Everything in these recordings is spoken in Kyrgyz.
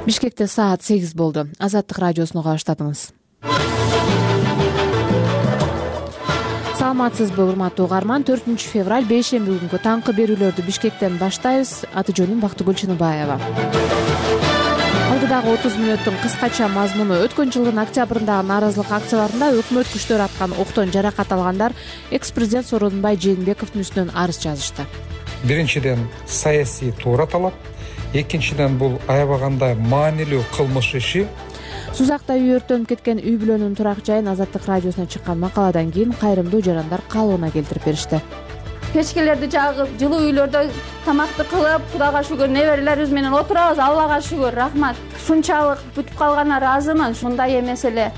Бишкекте саат 8 болду. Азаттык радиосуна баштадыңыз. Саламатсызбы, урматтуу угарман? 4 февраль бейшемби күнгү таңкы берүүлөрдү Бишкектен баштайбыз. Аты жөнүм Бактыгүл Чыныбаева. Алдыдагы 30 мүнөттүн кыскача мазмуну: өткөн жылдын октябрындагы нааразылык акцияларында өкмөт күчтөрү аткан октон жаракат алгандар экс-президент Сооронбай Жээнбековдун үстүнөн арыз жазышты. Биринчиден, саясий туура талап. Экинчиден, бул аябагандай маанилүү кылмыш иши. Сузакта үй өрттөнүп кеткен үй бүлөнүн турак жайын Азаттык радиосуна чыккан макаладан кийин кайрымдуу жарандар калыбына келтирип беришти. Печкелерди жагып, жылуу үйлөрдө тамакты кылып, Кудайга шүгүр, неберелерибиз менен отурабыз. Аллага шүгүр, рахмат. Ушунчалык бүтүп калганына ыраазымын. Ушундай эмес эле.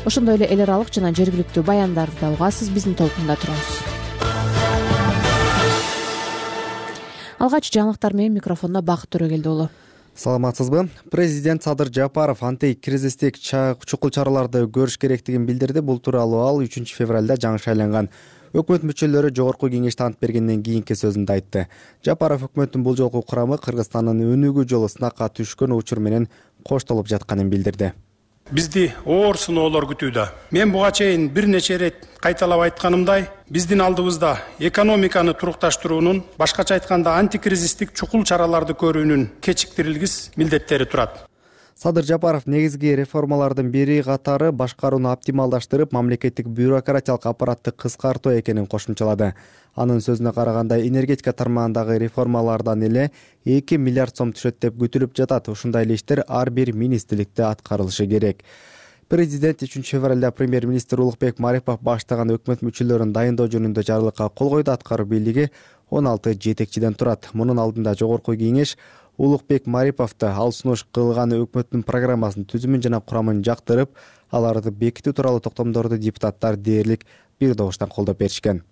Ошондой эле эл аралык жана жергиликтүү баяндарды да угасыз. Биздин толкунда туруңуз. Алгач жаңылыктар менен микрофондо Бакыт Төрөгелди уулу. Саламатсызбы? Президент Садыр Жапаров антикризистик чукул чараларды көрүш керектигин билдирди. Бул тууралуу ал 3 февралда жаңы шайланган өкмөт мүчөлөрү жогорку кеңеште ант бергенден кийинки сөзүндө айтты. Жапаров өкмөттүн бул жолку курамы Кыргызстандын өнүгүү жолу сынакка түшкөн учур менен коштолуп жатканын билдирди. Бизди оор сыноолор күтүүдө. Мен буга чейин бир нече ирет кайталап айтканымдай, биздин алдыбызда экономиканы турукташтыруунун, башкача айтканда антикризистик чукул чараларды көрүүнүн кечиктирилгис милдеттери турат. Садыр Жапаров негизги реформалардын бири катары башкарууну оптималдаштырып, мамлекеттик бюрократиялык аппаратты кыскартуу экенин кошумчалады. Анын сөзүнө караганда, энергетика тармагындагы реформалардан эле 2 миллиард сом түшөт деп күтүлүп жатат. Ушундай эле иштер ар бир министрликте аткарылышы керек. Президент 3 февралда премьер-министр Улукбек Марипов баштаган өкмөт мүчөлөрүн дайындоо жөнүндө жарлыкка кол койду. Аткаруу бийлиги 16 жетекчиден турат. Мунун алдында жогорку кеңеш Улукбек Мариповду ал сунуш кылган өкмөттүн программасын, түзүмүн жана курамын жактырып, аларды бекитүү тууралуу токтомдорду депутаттар дээрлик бир добуштан колдоп беришкен.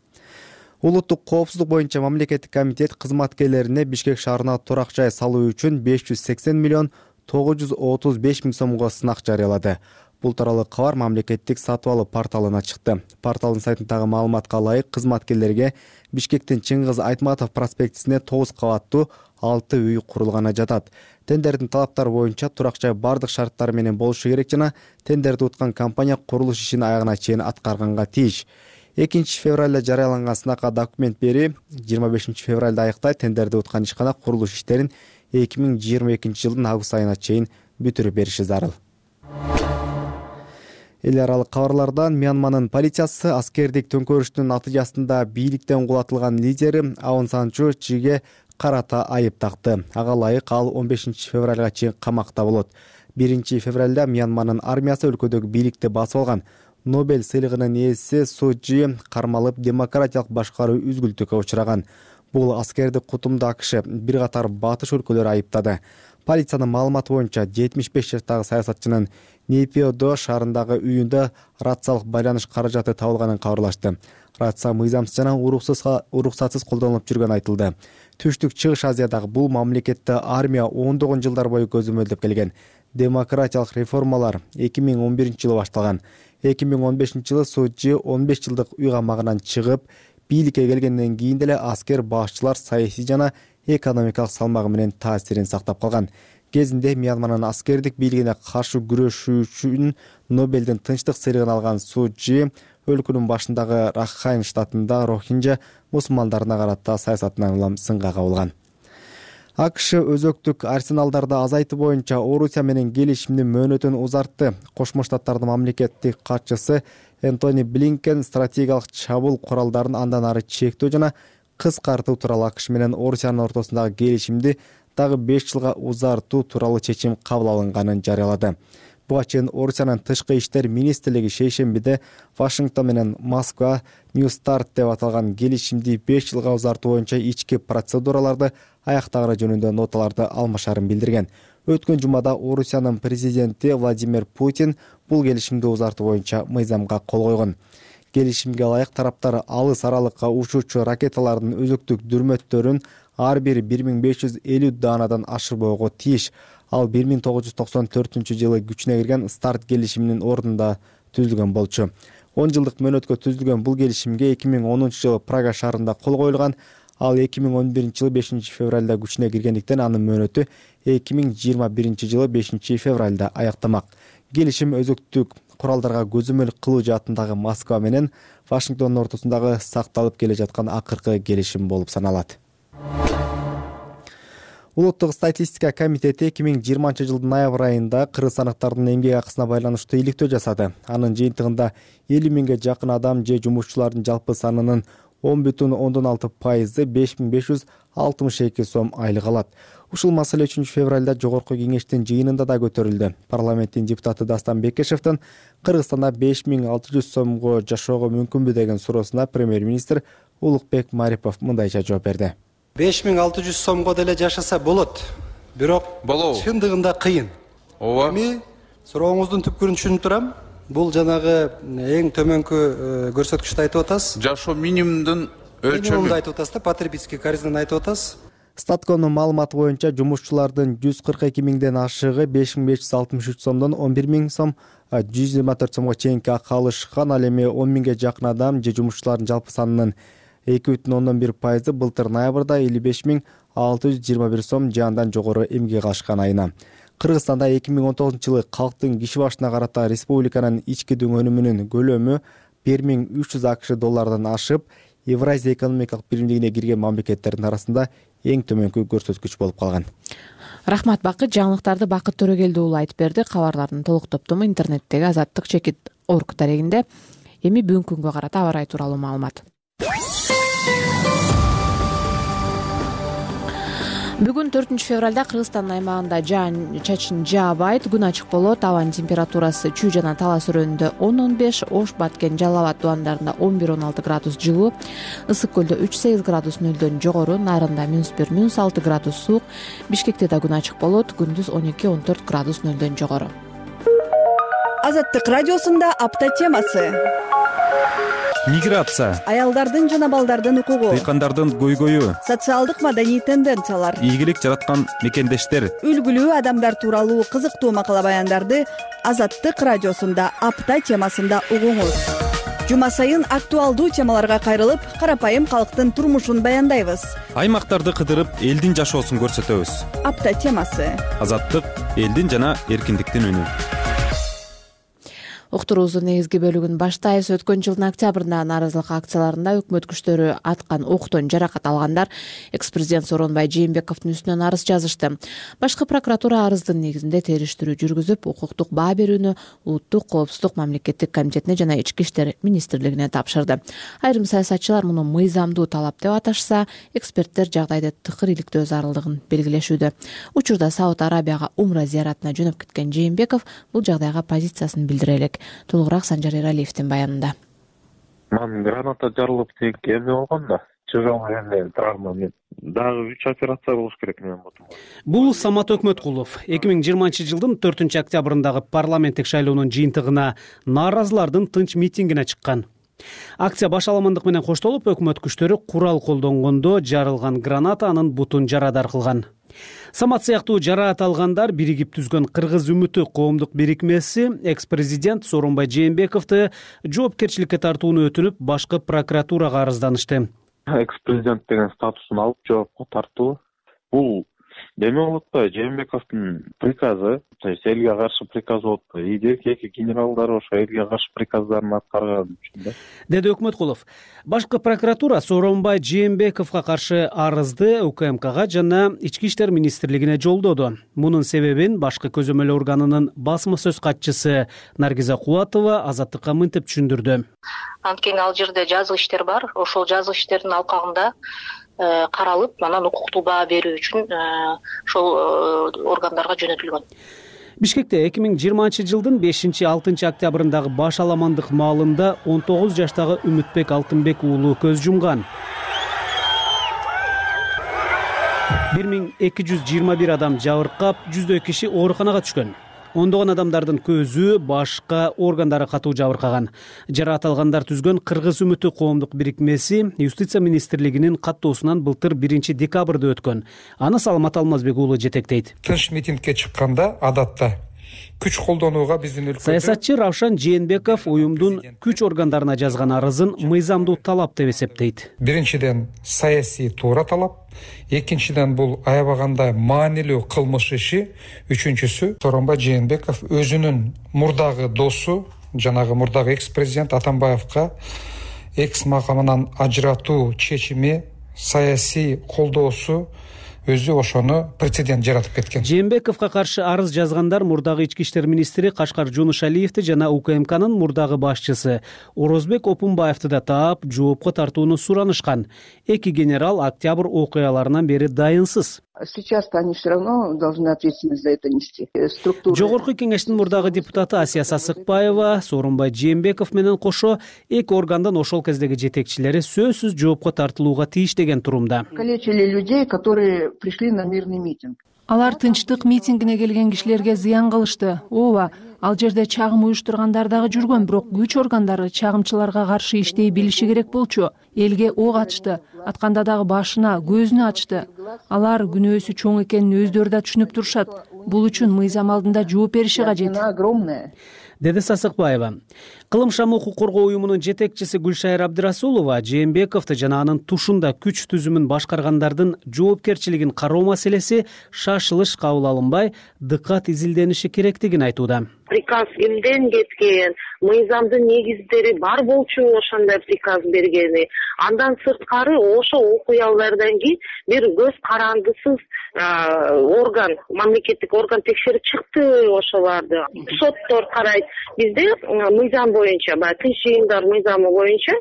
Улуттук коопсуздук боюнча мамлекеттик комитет кызматкерлерине Бишкек шаарына турак жай салуу үчүн 580 миллион 935 миң сомго сынак жарыялады. Бул тууралуу кабар мамлекеттик сатып алуу порталына чыкты. Порталдын сайтындагы маалыматка ылайык, кызматкерлерге Бишкектин Чыңгыз Айтматов проспектисине 9 кабаттуу 6 үй курулганы жатат. Тендердин талаптары боюнча турак жай бардык шарттары менен болушу керек жана тендерди уткан компания курулуш ишин аягына чейин аткарганга тийиш. 2 февралда жарыяланган сынакка документ бери 25 февралда аяктайт. Тендерди уткан ишкана курулуш иштерин 2022 жылдын август айына чейин бүтүрүп бериши зарыл. Эл аралык кабарлардан: Мьянманын полициясы аскердик төңкөрүштүн натыйжасында бийликтен кулатылган лидери Аун Сан Сuu Кyiге карата айып такты. Ага ылайык ал 15 февралга чейин камакта болот. 1 февралда Мьянманын армиясы өлкөдөгү бийликти басып алган. Нобель сыйлыгынын ээси Сuu Kyi кармалып, демократиялык башкаруу үзгүлтүккө учураган. Бул аскерди кутумду АКШ бир катар батыш өлкөлөрү айыптады. Полициянын маалыматы боюнча 75 жаштагы саясатчынын Нейпиодо шаарындагы үйүндө рациялык байланыш каражаты табылганын кабарлашты. Рация мыйзамсыз жана уруксатсыз колдонулуп жүргөнү айтылды. Түштүк Чыгыш Азиядагы бул мамлекетте армия ондогон жылдар бою көзөмөлдөп келген. Демократиялык реформалар 2011 жылы башталган. 2015 жылы Сuu Kyi 15 жылдык үй камагынан чыгып, бийликке келгенден кийин деле аскер башчылар саясий жана экономикалык салмагы менен таасирин сактап калган. Кезинде Мьянманын аскердик бийлигине каршы күрөшүү үчүн Нобелдин тынчтык сыйлыгын алган Сuu Kyi өлкөнүн башындагы Ракхайн штатында рохинжа мусулмандарына карата саясатынан улам сынга кабылган. АКШ өзөктүк арсеналдарды азайтуу боюнча Орусия менен келишимдин мөөнөтүн узартты. Кошмо Штаттардын мамлекеттик катчысы Энтони Блинкен стратегиялык чабуул куралдарын андан ары чектөө жана кыскартуу тууралуу АКШ менен Орусиянын ортосундагы келишимди дагы 5 жылга узартуу тууралуу чечим кабыл алынганын жарыялады. Буга чейин Орусиянын тышкы иштер министрлиги шейшембиде Вашингтон менен Москва New Start деп аталган келишимди 5 жылга узартуу боюнча ички процедураларды аяктаганы жөнүндө ноталарды алмашарын билдирген. Өткөн жумада Орусиянын президенти Владимир Путин бул келишимди узартуу боюнча мыйзамга кол койгон. Келишимге ылайык тараптар алыс аралыкка учуучу ракеталардын өзөктүк дүрмөттөрүн ар бири 1550 даанадан ашырбоого тийиш. Ал 1994 жылы күчүнө кирген старт келишиминин ордунда түзүлгөн болчу. 10 жылдык мөөнөткө түзүлгөн бул келишимге 2010 жылы Прага шаарында кол коюлган. Ал 2011 жылы 5 февралда күчүнө киргендиктен анын мөөнөтү 2021 жылы 5 февралда аяктамак. Келишим өзөктүк куралдарга көзөмөл кылуу жаатындагы Москва менен Вашингтондун ортосундагы сакталып келе жаткан акыркы келишим болуп саналат. Улуттук статистика комитети 2020 жылдын ноябрь айында кыргызстандыктардын эмгек акысына байланыштуу иликтөө жасады. Анын жыйынтыгында 50 миңге жакын адам же жумушчулардын жалпы санынын 10,6% 5562 сом айлык алат. Ушул маселе 3 февралда Жогорку кеңештин жыйынында да көтөрүлдү. Парламенттин депутаты Дастан Бекешевдин Кыргызстанда 5600 сомго жашоого мүмкүнбү деген суроосуна премьер-министр Улукбек Марипов мындайча жооп берди. 5600 сомго деле жашаса болот. Бирок чындыгында кыйын. Ооба. Эми сурооңуздун түпкүрүн түшүнүп турам. Бул жанагы эң төмөнкү көрсөткүчтү айтып атасыз. Жашоо минимумдун өлчөмү айтып атасыз да, потребительский корзинаны айтып атасыз. Статконун маалыматы боюнча жумушчулардын 142 миңден ашыгы 5563 сомдон 11 миң сом, 124 сомго чейинки акы алышкан. Ал эми 10 миңге жакын адам же жумушчулардын жалпы санынын 2,1% былтыр ноябрда 55,621 сом же андан жогору эмгек алышкан айына. Кыргызстанда 2019 жылы калктын киши башына карата республиканын ички дүң өнүмүнүн көлөмү 1300 АКШ доллардан ашып, Евразия экономикалык биримдигине кирген мамлекеттердин арасында эң төмөнкү көрсөткүч болуп калган. Рахмат Бакыт. Жаңылыктарды Бакыт Төрөгелди уулу айтып берди. Кабарлардын толук топтому интернеттеги azattik.org дарегинде. Эми бүгүнкү күнгө карата аба ырайы тууралуу маалымат. Бүгүн 4 февралда Кыргызстан аймагында жаан-чачын жаабайт, күн ачык болот. Абанын температурасы Чүй жана Талас өрөөнүндө 10-15, Ош, Баткен, Жалал абад тубандарында 11-16 градус жылуу, Ысык көлдө 3-8 градус нөлдөн жогору, Нарында -1, -6 градус суук, Бишкекте да күн ачык болот, күндүз 12-14 градус нөлдөн жогору. Азаттык радиосунда апта темасы. Миграция, Аялдардын жана балдардын укугу, дыйкандардын көйгөйү, социалдык маданий тенденциялар, ийгилик жараткан мекендештер, үлгүлүү адамдар тууралуу кызыктуу макала баяндарды Азаттык радиосунда апта темасында угуңуз. Жума сайын актуалдуу темаларга кайрылып, карапайым калктын турмушун баяндайбыз. Аймактарды кыдырып, элдин жашоосун көрсөтөбүз. Апта темасы. Азаттык элдин жана эркиндиктин үнү. Уктуруубуздун негизги бөлүгүн баштайбыз. Өткөн жылдын октябрында нааразылык акцияларында өкмөт күчтөрү аткан октон жаракат алгандар экс-президент Сооронбай Жээнбековдун үстүнөн арыз жазышты. Башкы прокуратура арыздын негизинде териштирүү жүргүзүп, укуктук баа берүүнү Улуттук коопсуздук мамлекеттик комитетине жана Ички иштер министрлигине тапшырды. Айрым саясатчылар муну мыйзамдуу талап деп аташса, эксперттер жагдайды тыкыр иликтөө зарылдыгын белгилешүүдө. Учурда Сауд Арабияга умра зияратына жөнөп кеткен Жээнбеков бул жагдайга позициясын билдире элек. Толугураак Санжар Эралиевдин баянында. Мен граната жарылып тек эмне болгон да. Чыжал эле травма мен. Дагы 3 операция болуш керек мен бутум. Бул Самат Өкмөткулов 2020 жылдын 4 октябрындагы парламенттик шайлоонун жыйынтыгына нааразылардын тынч митингине чыккан. Акция башаламандык менен коштолуп, өкмөт күчтөрү курал колдонгондо жарылган граната анын бутун жарадар кылган. Самат сыяктуу жараат алгандар биригип түзгөн Кыргыз үмүтү коомдук бирикмеси экс-президент Сооронбай Жээнбековду жоопкерчиликке тартууну өтүнүп, башкы прокуратурага арызданышты. Экс-президент деген статусун алып жоопко тартуу. Бул эме болот да, Жээнбековдун приказы, элге каршы приказ болот да. Эки генералдар ошо элге каршы приказдарын аткарган үчүн да. Деди Өкмөткулов. Башкы прокуратура Сооронбай Жээнбековго каршы арызды УКМКга жана Ички иштер министрлигине жолдоду. Мунун себебин башкы көзөмөл органынын басма сөз катчысы Наргиза Кубатова Азаттыкка мынтип түшүндүрдү. Анткени ал жерде жазык иштер бар. Ошол жазык иштердин алкагында каралып, анан укуктуу баа берүү үчүн ошол органдарга жөнөтүлгөн. Бишкекте 2020 жылдын 5-6 октябрындагы башаламандык маалында 19 жаштагы Үмүтбек Алтынбек уулу көз жумган. 1221 адам жабыркап, 100 киши ооруканага түшкөн. Ондогон адамдардын көзү, башка органдары катуу жабыркаган. Жараат алгандар түзгөн Кыргыз үмүтү коомдук бирикмеси Юстиция министрлигинин каттоосунан былтыр 1 декабрда өткөн. Аны Саламат Алмазбек уулу жетектейт. Тынч митингге чыкканда адатта күч колдонууга биздин өлкөдө саясатчы Равшан Жээнбеков уюмдун күч органдарына жазган арызын мыйзамдуу талап деп эсептейт. Биринчиден саясий туура талап, экинчиден бул аябагандай маанилүү кылмыш иши, үчүнчүсү Сооронбай Жээнбеков өзүнүн мурдагы досу, жанагы мурдагы экс-президент Атамбаевка экс макамынан ажыратуу чечими, саясий колдоосу өзү ошону прецедент жаратып кеткен. Жээнбековго каршы арыз жазгандар мурдагы ички иштер министри Кашкар Жунушалиевди жана УКМКнын мурдагы башчысы Орозбек Опунбаевди да таап жоопко тартууну суранышкан. Эки генерал октябрь окуяларынан бери дайынсыз. Сейчас-то они все равно должны ответственность за это нести. Жогорку кеңештин мурдагы депутаты Асия Сасыкбаева Сооронбай Жээнбеков менен кошо эки органдын ошол кездеги жетекчилери сөзсүз жоопко тартылууга тийиш деген турумда. Калечили людей, которые пришли на мирный митинг. Алар тынчтык митингине келген кишилерге зыян кылышты. Ооба, ал жерде чагым уюштургандар дагы жүргөн, бирок күч органдары чагымчыларга каршы иштей билиши керек болчу. Элге ок ачты, атканда дагы башына, көзүнө ачты. Алар күнөөсү чоң экенин өздөрү да түшүнүп турушат. Бул үчүн мыйзам алдында жооп бериши кажет, деди Сасыкбаева. Кылым шам укук коргоо уюмунун жетекчиси Гүлшайыр Абдырасулова Жээнбековду жана анын тушунда күч түзүмүн башкаргандардын жоопкерчилигин кароо маселеси шашылыш кабыл алынбай, дыккат изилдениши керектигин айтууда. Приказ кимден кеткен, мыйзамдын негиздери бар болчу ошондой приказ бергени. Андан сырткары ошо окуялардан кийин бир көз карандысыз орган, мамлекеттик орган текшерип чыкты ошолорду. Соттор карайт. Бизде мыйзам боюнча, тынч жыйындар мыйзамы боюнча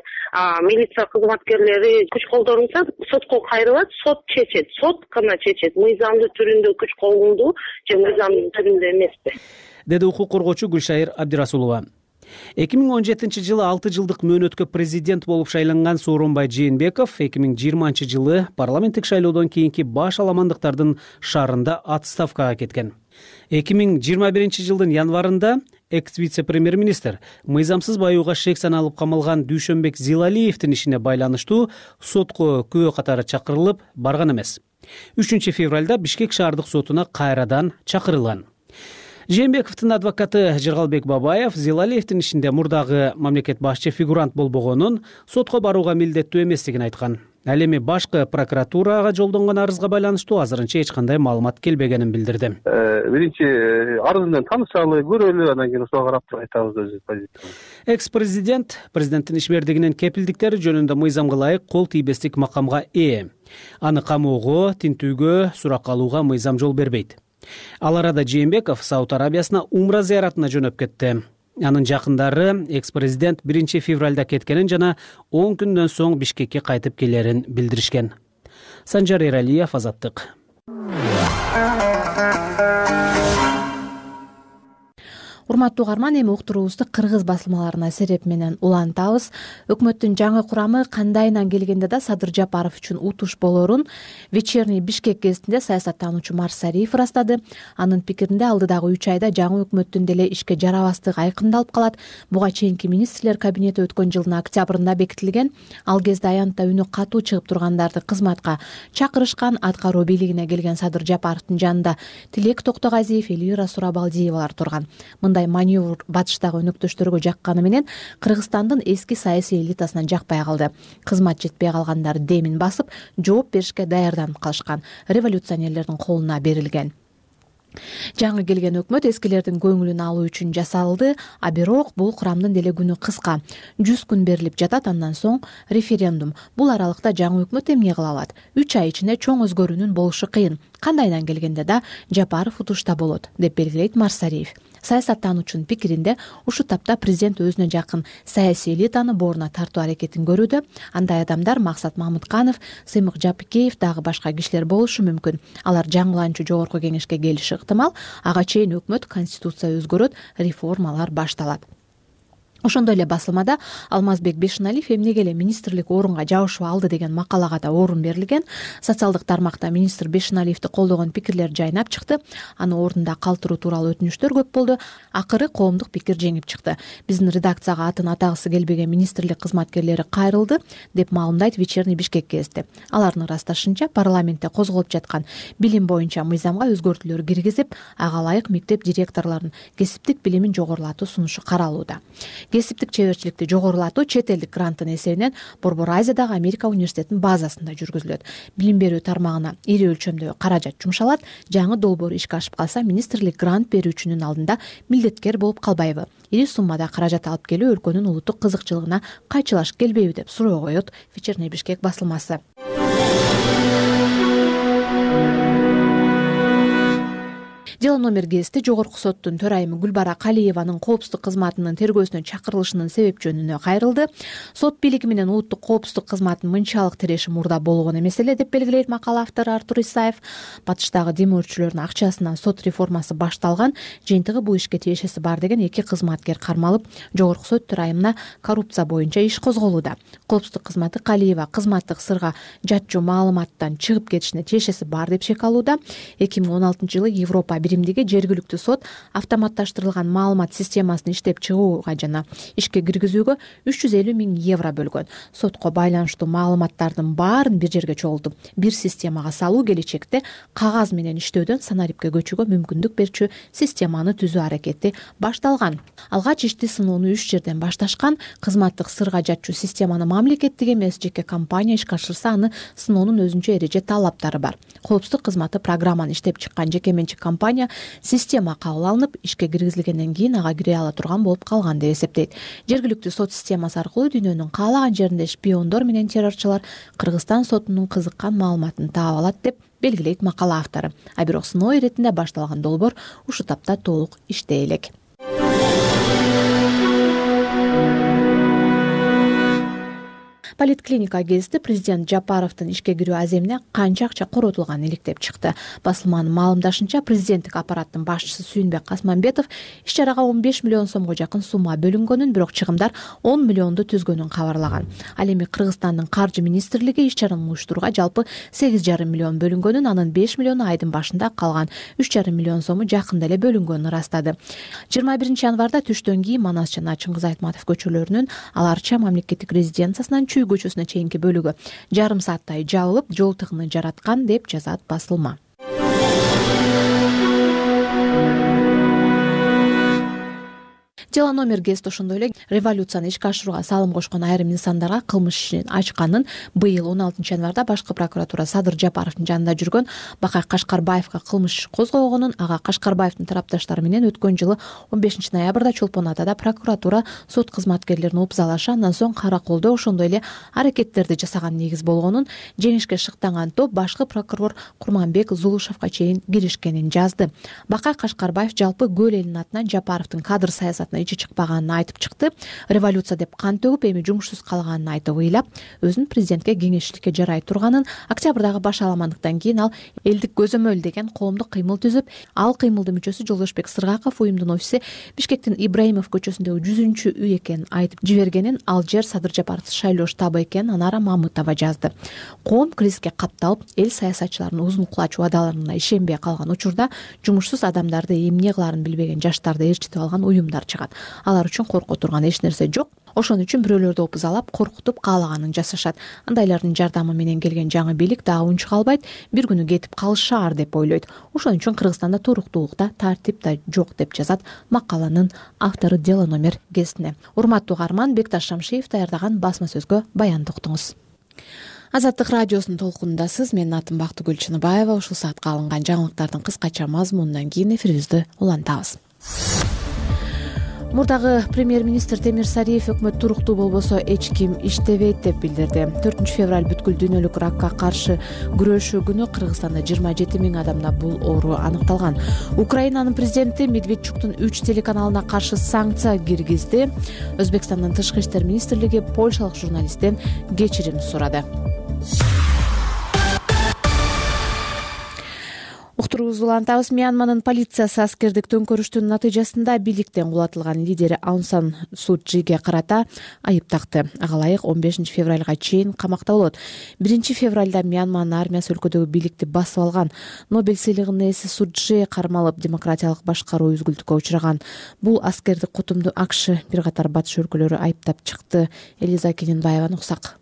милиция кызматкерлери күч колдонса сотко кайрылат, сот чечет, сот гана чечет. Мыйзамдын түрүндө күч колдонду же мыйзамдын түрүндө эмеспи, деди укук коргоочу Гүлшайыр Абдырасулова. 2017 жылы 6 жылдык мөөнөткө президент болуп шайланган Сооронбай Жээнбеков 2020 жылы парламенттик шайлоодон кийинки баш аламандыктардын шаарында отставкага кеткен. 2021 жылдын январында экс-вице-премьер-министр мыйзамсыз баюуга шек саналып камалган Дүйшөнбек Зилалиевдин ишине байланыштуу сотко күбө катары чакырылып барган эмес. 3 февралда Бишкек шаардык сотуна кайрадан чакырылган. Жээнбековдун адвокаты Жыргалбек Бабаев Зилалиевдин ишинде мурдагы мамлекет башчы фигурант болбогонун, сотко барууга милдеттүү эместигин айткан. Ал эми башкы прокуратурага жолдонгон арызга байланыштуу азырынча эч кандай маалымат келбегенин билдирди. Биринчи арыз менен таанышалы, көрөлү, анан кийин ошого карап айтабыз өзүбүздүн позициябызды. Экс-президенттин ишмердигинин кепилдиктери жөнүндө мыйзамга ылайык кол тийбестик макамга ээ. Аны камоого, тинтүүгө, суракка алууга мыйзам жол бербейт. Ал арада Жээнбеков Сауд Арабиясына умра зыяратына жөнөп кетти. Анын жакындары экс-президент 1 февралда кеткенин жана 10 күндөн соң Бишкекке кайтып келерин билдиришкен. Санжар Эралиев, Азаттык. Урматтуу угарман, эми уктуруубузду кыргыз басылмаларына сереп менен улантабыз. Өкмөттүн жаңы курамы кандайынан келгенде да Садыр Жапаров үчүн утуш болорун Вечерний Бишкек гезитинде саясаттануучу Марсариев ырастады. Анын пикиринде алдыдагы 3 айда жаңы өкмөттүн деле ишке жарабастыгы айкындалып калат. Буга чейинки министрлер кабинети өткөн жылдын октябрында бекитилген. Ал кезде аянтта үнү катуу чыгып тургандарды кызматка чакырышкан. Аткаруу бийлигине келген Садыр Жапаровдун жанында Тилек Токтогазиев, Элвира Сурабалдиевалар турган. Маневр батыштагы өнөктөштөргө жакканы менен Кыргызстандын эски саясий элитасынан жакпай калды. Кызмат жетпей калгандар демин басып, жооп беришке даярданып калышкан. Революционерлердин колуна берилген. Жаңы келген өкмөт эскилердин көңүлүн алуу үчүн жасалды, а бирок бул курамдын деле күнү кыска. 100 күн берилип жатат, андан соң референдум. Бул аралыкта жаңы өкмөт эмне кыла алат? 3 ай ичинде чоң өзгөрүүнүн болушу кыйын. Кандайдан келгенде да Жапаров утушта болот, деп белгилейт Марсариев. Саясаттануучунун пикиринде ушу тапта президент өзүнө жакын саясий элитаны боруна тартуу аракетин көрүүдө. Андай адамдар Максат Мамытканов, Сыймык Жапыкеев дагы башка кишилер болушу мүмкүн. Алар жаңыланчу жогорку кеңешке келиши ыктымал. Ага чейин өкмөт, конституция өзгөрөт, реформалар башталат. Ошондой эле басылмада Алмазбек Бешеналиев эмнеге эле министрлик орунга жабышып алды деген макалага да орун берилген. Социалдык тармакта министр Бешеналиевди колдогон пикирлер жайнап чыкты. Аны ордунда калтыруу тууралуу өтүнүчтөр көп болду. Акыры коомдук пикир жеңип чыкты. Биздин редакцияга атын атагысы келбеген министрлик кызматкерлери кайрылды деп маалымдайт Вечерний Бишкек гезити. Алардын ырасташынча парламентте козголуп жаткан билим боюнча мыйзамга өзгөртүүлөр киргизип, ага ылайык мектеп директорлорунун кесиптик билимин жогорулатуу сунушу каралууда. Кесиптик чеберчиликти жогорулатуу чет элдик гранттын эсебинен Борбор Азиядагы Америка университетинин базасында жүргүзүлөт. Билим берүү тармагына ири өлчөмдө каражат жумшалат. Жаңы долбоор ишке ашып калса, министрлик грант берүүчүнүн алдында милдеткер болуп калбайбы? Ири суммада каражат алып келүү өлкөнүн улуттук кызыкчылыгына кайчылаш келбейби деп суроо коет Вечерний Бишкек басылмасы. Дело номер гезити Жогорку соттун төрайымы Гүлбара Калиеванын коопсуздук кызматынын тергөөсүнө чакырылышынын себеп жөнүнө кайрылды. Сот бийлиги менен улуттук коопсуздук кызматынын мынчалык тиреши мурда болгон эмес эле деп белгилейт макала автору Артур Исаев. Батыштагы дем өрчүлөрдүн акчасынан сот реформасы башталган, жыйынтыгы бул ишке тиешеси бар деген 2 кызматкер кармалып, Жогорку сот төрайымына коррупция боюнча иш козголууда. Коопсуздук кызматы Калиева кызматтык сырга жатчу маалыматтан чыгып кетишине тиешеси бар деп шек алууда. 2016-жылы Европа биримдиги жергиликтүү сот автоматташтырылган маалымат системасын иштеп чыгууга жана ишке киргизүүгө 350 000 евро бөлгөн. Сотко байланыштуу маалыматтардын баарын бир жерге чогултуп, бир системага салуу келечекте кагаз менен иштөөдөн санарипке көчүүгө мүмкүндүк берчү системаны түзүү аракети башталган. Алгач ишти сыноону 3 жерден башташкан. Кызматтык сырга жатчу системаны мамлекеттик эмес жеке компания ишке ашырса, аны сыноонун өзүнчө эреже талаптары бар. Коопсуздук кызматы программаны иштеп чыккан жеке менчик компания система кабыл алынып, ишке киргизилгенден кийин ага кире ала турган болуп калган деп эсептейт. Жергиликтүү сот системасы аркылуу дүйнөнүн каалаган жеринде шпиондор менен террорчулар Кыргызстан сотунун кызыккан маалыматын таап алат деп белгилейт макала автору. А бирок сыноо иретинде башталган долбоор ушу тапта толук иштей элек. Политклиника гезити президент Жапаровдун ишке кирүү аземине канча акча коротулганын иликтеп чыкты. Басылманын маалымдашынча, президенттик аппараттын башчысы Сүйүнбек Касманбетов иш чарага 15 миллион сомго жакын сумма бөлүнгөнүн, бирок чыгымдар 10 миллионду түзгөнүн кабарлаган. Ал эми Кыргызстандын каржы министрлиги иш чараны уюштурууга жалпы 8,5 миллион бөлүнгөнүн, анын 5 миллиону айдын башында, калган 3,5 миллион сому жакында эле бөлүнгөнүн ырастады. 21 январда түштөн кийин Манас жана Чыңгыз Айтматов көчөлөрүнүн Ал Арча мамлекеттик резиденциясынан Чүй көчөсүнө чейинки бөлүгү жарым сааттай жабылып, жол тыгыны жараткан деп жазат басылма. Дело номер гезити ошондой эле революцияны ишке ашырууга салым кошкон айрым инсандарга кылмыш ишин ачканын быйыл 16 январда башкы прокуратура Садыр Жапаровдун жанында жүргөн Бакай Кашкарбаевга кылмыш иш козгогонун, ага Кашкарбаевдин тарапташтары менен өткөн жылы 15 ноябрда Чолпон Атада прокуратура сот кызматкерлерин упзалашы, андан соң караколдо ошондой эле аракеттерди жасаган негиз болгонун, жеңишке шыктанган топ башкы прокурор Курманбек Зулушевга чейин киришкенин жазды. Бакай Кашкарбаев жалпы көл элинин атынан Жапаровдун кадр саясатына ичи чыкпаганын айтып чыкты. Революция деп кан төгүп, эми жумушсуз калганын айтып ыйлап, өзүнүн президентке кеңешчиликке жарай турганын, октябрдагы баш аламандыктан кийин ал элдик көзөмөл деген коомдук кыймыл түзүп, ал кыймылдын мүчөсү Жолдошбек Сыргаков уюмдун офиси Бишкектин Ибраимов көчөсүндөгү 100-үй экенин айтып жибергенин, ал жер Садыр Жапаров шайлоо штабы экенин Анара Мамытова жазды. Коом кризиске капталып, эл саясатчылардын узун кулач убадаларына ишенбей калган учурда жумушсуз адамдарды эмне кылаарын билбеген жаштарды ээрчитип алган уюмдар чыгат. Алар үчүн корко турган эч нерсе жок. Ошон үчүн бирөөлөрдү опузалап, коркутуп каалаганын жасашат. Андайлардын жардамы менен келген жаңы бийлик дагы унчукалбайт, бир күнү кетип калышаар деп ойлойт. Ошон үчүн Кыргызстанда туруктуулук да, тартип да жок деп жазат макаланын автору Дело номер гезитине. Урматтуу угарман, Бекташ Шамшиев даярдаган басма сөзгө баянды уктуңуз. Азаттык радиосунун толкунундасыз. Менин атым Бактыгүл Чыныбаева. Ушул саатка алынган жаңылыктардын кыскача мазмунунан кийин эфирибизди улантабыз. Мурдагы премьер-министр Темир Сариев өкмөт туруктуу болбосо эч ким иштебейт деп билдирди. 4 февраль бүткүл дүйнөлүк ракка каршы күрөшүү күнү Кыргызстанда 27 000 адамда бул оору аныкталган. Украинанын президенти Медведчуктун 3 телеканалына каршы санкция киргизди. Өзбекстандын тышкы иштер министрлиги польшалык журналисттен кечирим сурады. уктуруубузду улантабыз. Мьянманын полициясы аскердик төңкөрүштүн натыйжасында бийликтен кулатылган лидери Аун Сан Су Чжиге карата айып такты. Ага ылайык 15 февралга чейин камакта болот. 1 февралда Мьянманын армиясы өлкөдөгү бийликти басып алган. Нобель сыйлыгынын ээси Су Чжи кармалып, демократиялык башкаруу үзгүлтүккө учураган. Бул аскердик кутумду АКШ бир катар батыш өлкөлөрү айыптап чыкты. Элиза Кененбаеваны уксак.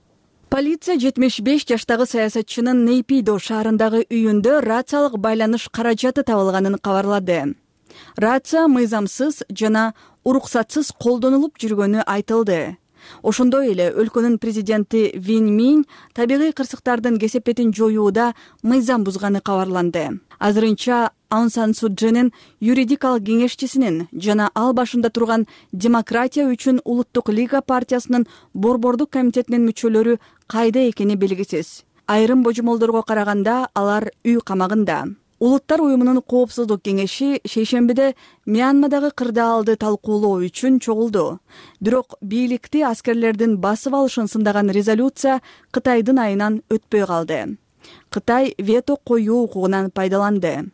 Полиция 75 жаштагы саясатчынын Нейпидо шаарындагы үйүндө рациялык байланыш каражаты табылганын кабарлады. Рация мыйзамсыз жана уруксатсыз колдонулуп жүргөнү айтылды. Ошондой эле өлкөнүн президенти Вин Мин табигый кырсыктардын кесепетин жоюуда мыйзам бузганы кабарланды. Азырынча Аун Сан Су Чжинин юридикалык кеңешчисинин жана ал башында турган Демократия үчүн Улуттук лига партиясынын борбордук комитетинин мүчөлөрү кайда экени белгисиз. Айрым божомолдорго караганда алар үй камагында. Улуттар уюмунун коопсуздук кеңеши шейшембиде Мьянмадагы кырдаалды талкуулоо үчүн чогулду. Бирок бийликти аскерлердин басып алышын сындаган резолюция Кытайдын айынан өтпөй калды. Кытай вето коюу укугунан пайдаланды.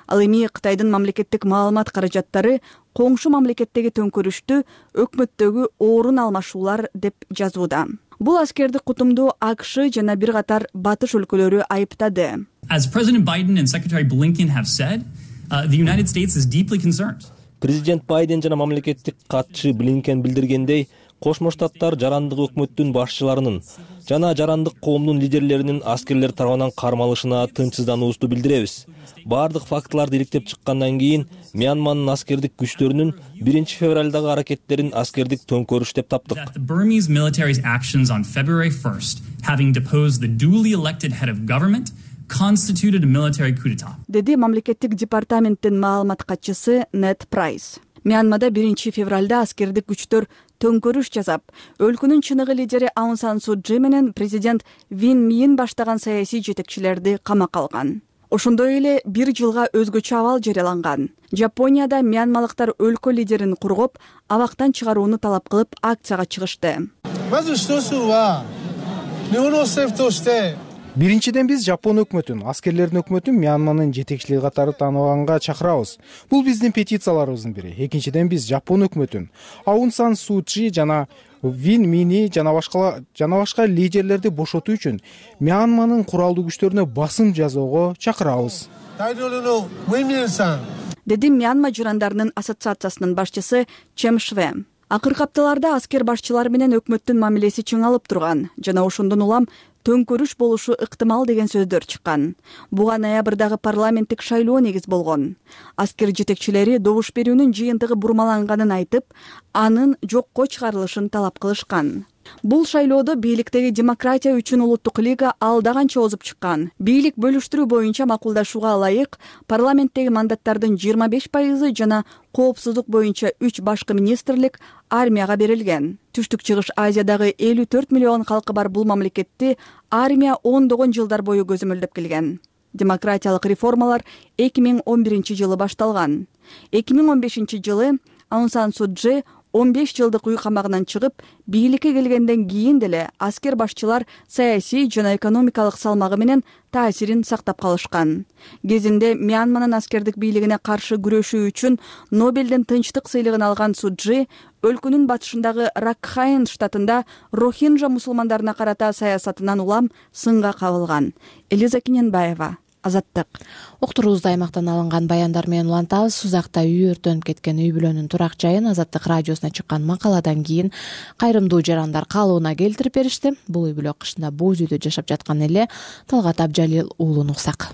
Ал эми Кытайдын мамлекеттик маалымат каражаттары коңшу мамлекеттеги төңкөрүштү өкмөттөгү орун алмашуулар деп жазууда. Бул аскердик кутумду АКШ жана бир катар батыш өлкөлөрү айыптады. As President Biden and Secretary Blinken have said, the United States is deeply concerned. Президент Байден жана мамлекеттик катчы Блинкен билдиргендей, Кошмо Штаттар жарандык өкмөттүн башчыларынын жана жарандык коомдун лидерлеринин аскерлер тарабынан кармалышына тынчсыздануубузду билдиребиз. Бардык фактыларды иликтеп чыккандан кийин Мьянманын аскердик күчтөрүнүн 1 февралдагы аракеттерин аскердик төңкөрүш деп таптык. The Burmese military's actions on February 1st, having deposed the duly elected head of government, constituted a military coup d'etat. Деди мамлекеттик департаменттин маалымат катчысы Нет Прайс. Мьянмада 1 февралда аскердик күчтөр төңкөрүш жасап, өлкөнүн чыныгы лидери Аун Сан Су Чжи менен президент Вин Мин баштаган саясий жетекчилерди камакка алган. Ошондой эле 1 жылга өзгөчө абал жарыяланган. Жапонияда мьянмалыктар өлкө лидерин кургоп, абактан чыгарууну талап кылып акцияга чыгышты. Биринчиден биз Жапон өкмөтүн, аскерлердин өкмөтүн Мьянманын жетекчилиги катары тааныганга чакырабыз. Бул биздин петицияларыбыздын бири. Экинчиден биз Жапон өкмөтүн, Аун Сан Су Чжи жана Вин Мини жана башка лидерлерди бошотуу үчүн Мьянманын куралдуу күчтөрүнө басым жасоого чакырабыз. Деди Мьянма жырандарынын ассоциациясынын башчысы Чем Шве. Акыркы апталарда аскер башчылары менен өкмөттүн мамилеси чыңалып турган жана ошондон улам төңкөрүш болушу ыктымал деген сөздөр чыккан. Буга ноябрдагы парламенттик шайлоо негиз болгон. Аскер жетекчилери добуш берүүнүн жыйынтыгы бурмаланганын айтып, анын жокко чыгарылышын талап кылышкан. Бул шайлоодо бийликтеги Демократия үчүн Улуттук лига алда канча озуп чыккан. Бийлик бөлүштүрүү боюнча макулдашууга ылайык парламенттеги мандаттардын 25% жана коопсуздук боюнча 3 башкы министрлик армияга берилген. Түштүк Чыгыш Азиядагы 54 миллион калкы бар бул мамлекетти армия ондогон жылдар бою көзөмөлдөп келген. Демократиялык реформалар 2011 жылы башталган. 2015 жылы Аун Сан Су Чжи 15 жылдык үй камагынан чыгып, бийликке келгенден кийин деле аскер башчылар саясий жана экономикалык салмагы менен таасирин сактап калышкан. Кезинде Мьянманын аскердик бийлигине каршы күрөшүү үчүн Нобелдин тынчтык сыйлыгын алган Су Чжи өлкөнүн батышындагы Ракхайн штатында Рохинджа мусулмандарына карата саясатынан улам сынга кабылган. Элиза Кененбаева, Азаттык. Уктуруубузда аймактан алынган баяндар менен улантабыз. Сузакта үй өртөнүп кеткен үй бүлөнүн турак жайын Азаттык радиосуна чыккан макаладан кийин кайрымдуу жарандар каалоона келтирип беришти. Бул үй бүлө кышында боз үйдө жашап жаткан эле Талгат Абжалил уулун уксак.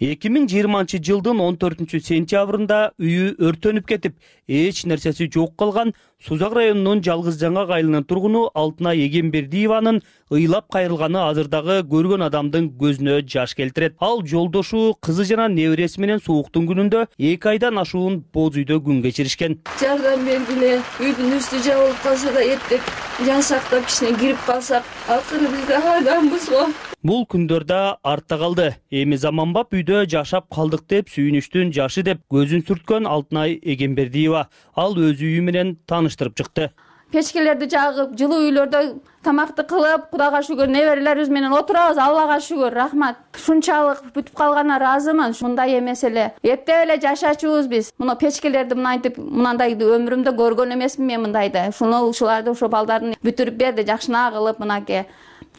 2020 жылдын 14 сентябрында үйү өртөнүп кетип, эч нерсеси жок калган Сузак районунун Жалгыз Жаңак айылынын тургуну Алтынай Эгембердиеванын ыйлап кайрылганы азырдагы көргөн адамдын көзүнө жаш келтирет. Ал жолдошу, кызы жана небереси менен сууктун күнүндө 2 айдан ашуун боз үйдө күн кечиришкен. Жардам бергиле, үйдүн үстү жабылып калса да эптеп жан сактап кичине кирип калсак, акыры биз да адамбыз го. Бул күндөрдө артта калды. Эми заманбап үйдө жашап калдык деп сүйүнүчтүн жашы деп көзүн сүрткөн Алтынай Эгембердиева ал өз үйү менен таныштырып чыкты. печкелерди жагып, жылуу үйлөрдө тамакты кылып, Кудайга шүгүр неберелерибиз менен отурабыз. Аллага шүгүр, рахмат. Ушунчалык бүтүп калганына ыраазымын. Мындай эмес эле эптеп эле жашачубуз биз. Мына печкелерди мынантип, мынандайды өмүрүмдө көргөн эмесмин мен мындайды. Ушуларды ошо балдардын бүтүрүп берди, жакшына кылып мынакей.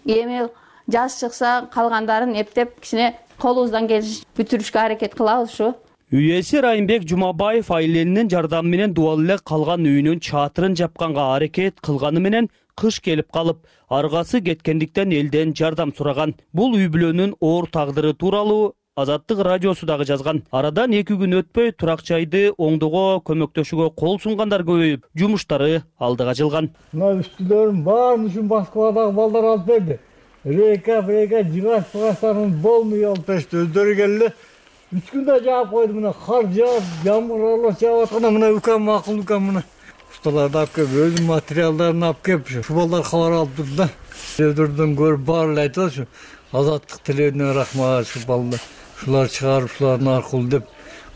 Эми жаз чыкса калгандарын эптеп кичине колубуздан келиш бүтүрүшкө аракет кылабыз ушу. Үй ээси Райымбек Жумабаев айленинин жардамы менен дубал эле калган үйүнүн чатырын жапканга аракет кылганы менен кыш келип калып, аргасы кеткендиктен элден жардам сураган. Бул үй бүлөнүн оор тагдыры тууралуу Азаттык радиосу дагы жазган. Арадан 2 күн өтпөй турак жайды оңдоого көмөктөшүүгө кол сунгандар көбөйүп, жумуштары алдыга жылган. Мына үстүлөрүн баарын ушун Москвадагы балдар алып берди. Рейка, жыгач-пыгачтарын болмой алып беришти. Өздөрү келди. 3 күндө жаап койду. Мына кар жаап, жамгыр аралаш жаап атканда мына үкам макул үкам мына. Усталарды алып келип, өзүнүн материалдарын алып келип, ушу балдар кабар алып турду да. Өздөрүдөн көрүп баары эле айтып атышы. Азаттык тилерине рахмат, ушу балдар. Ушулар чыгарып, ушулардын аркылуу деп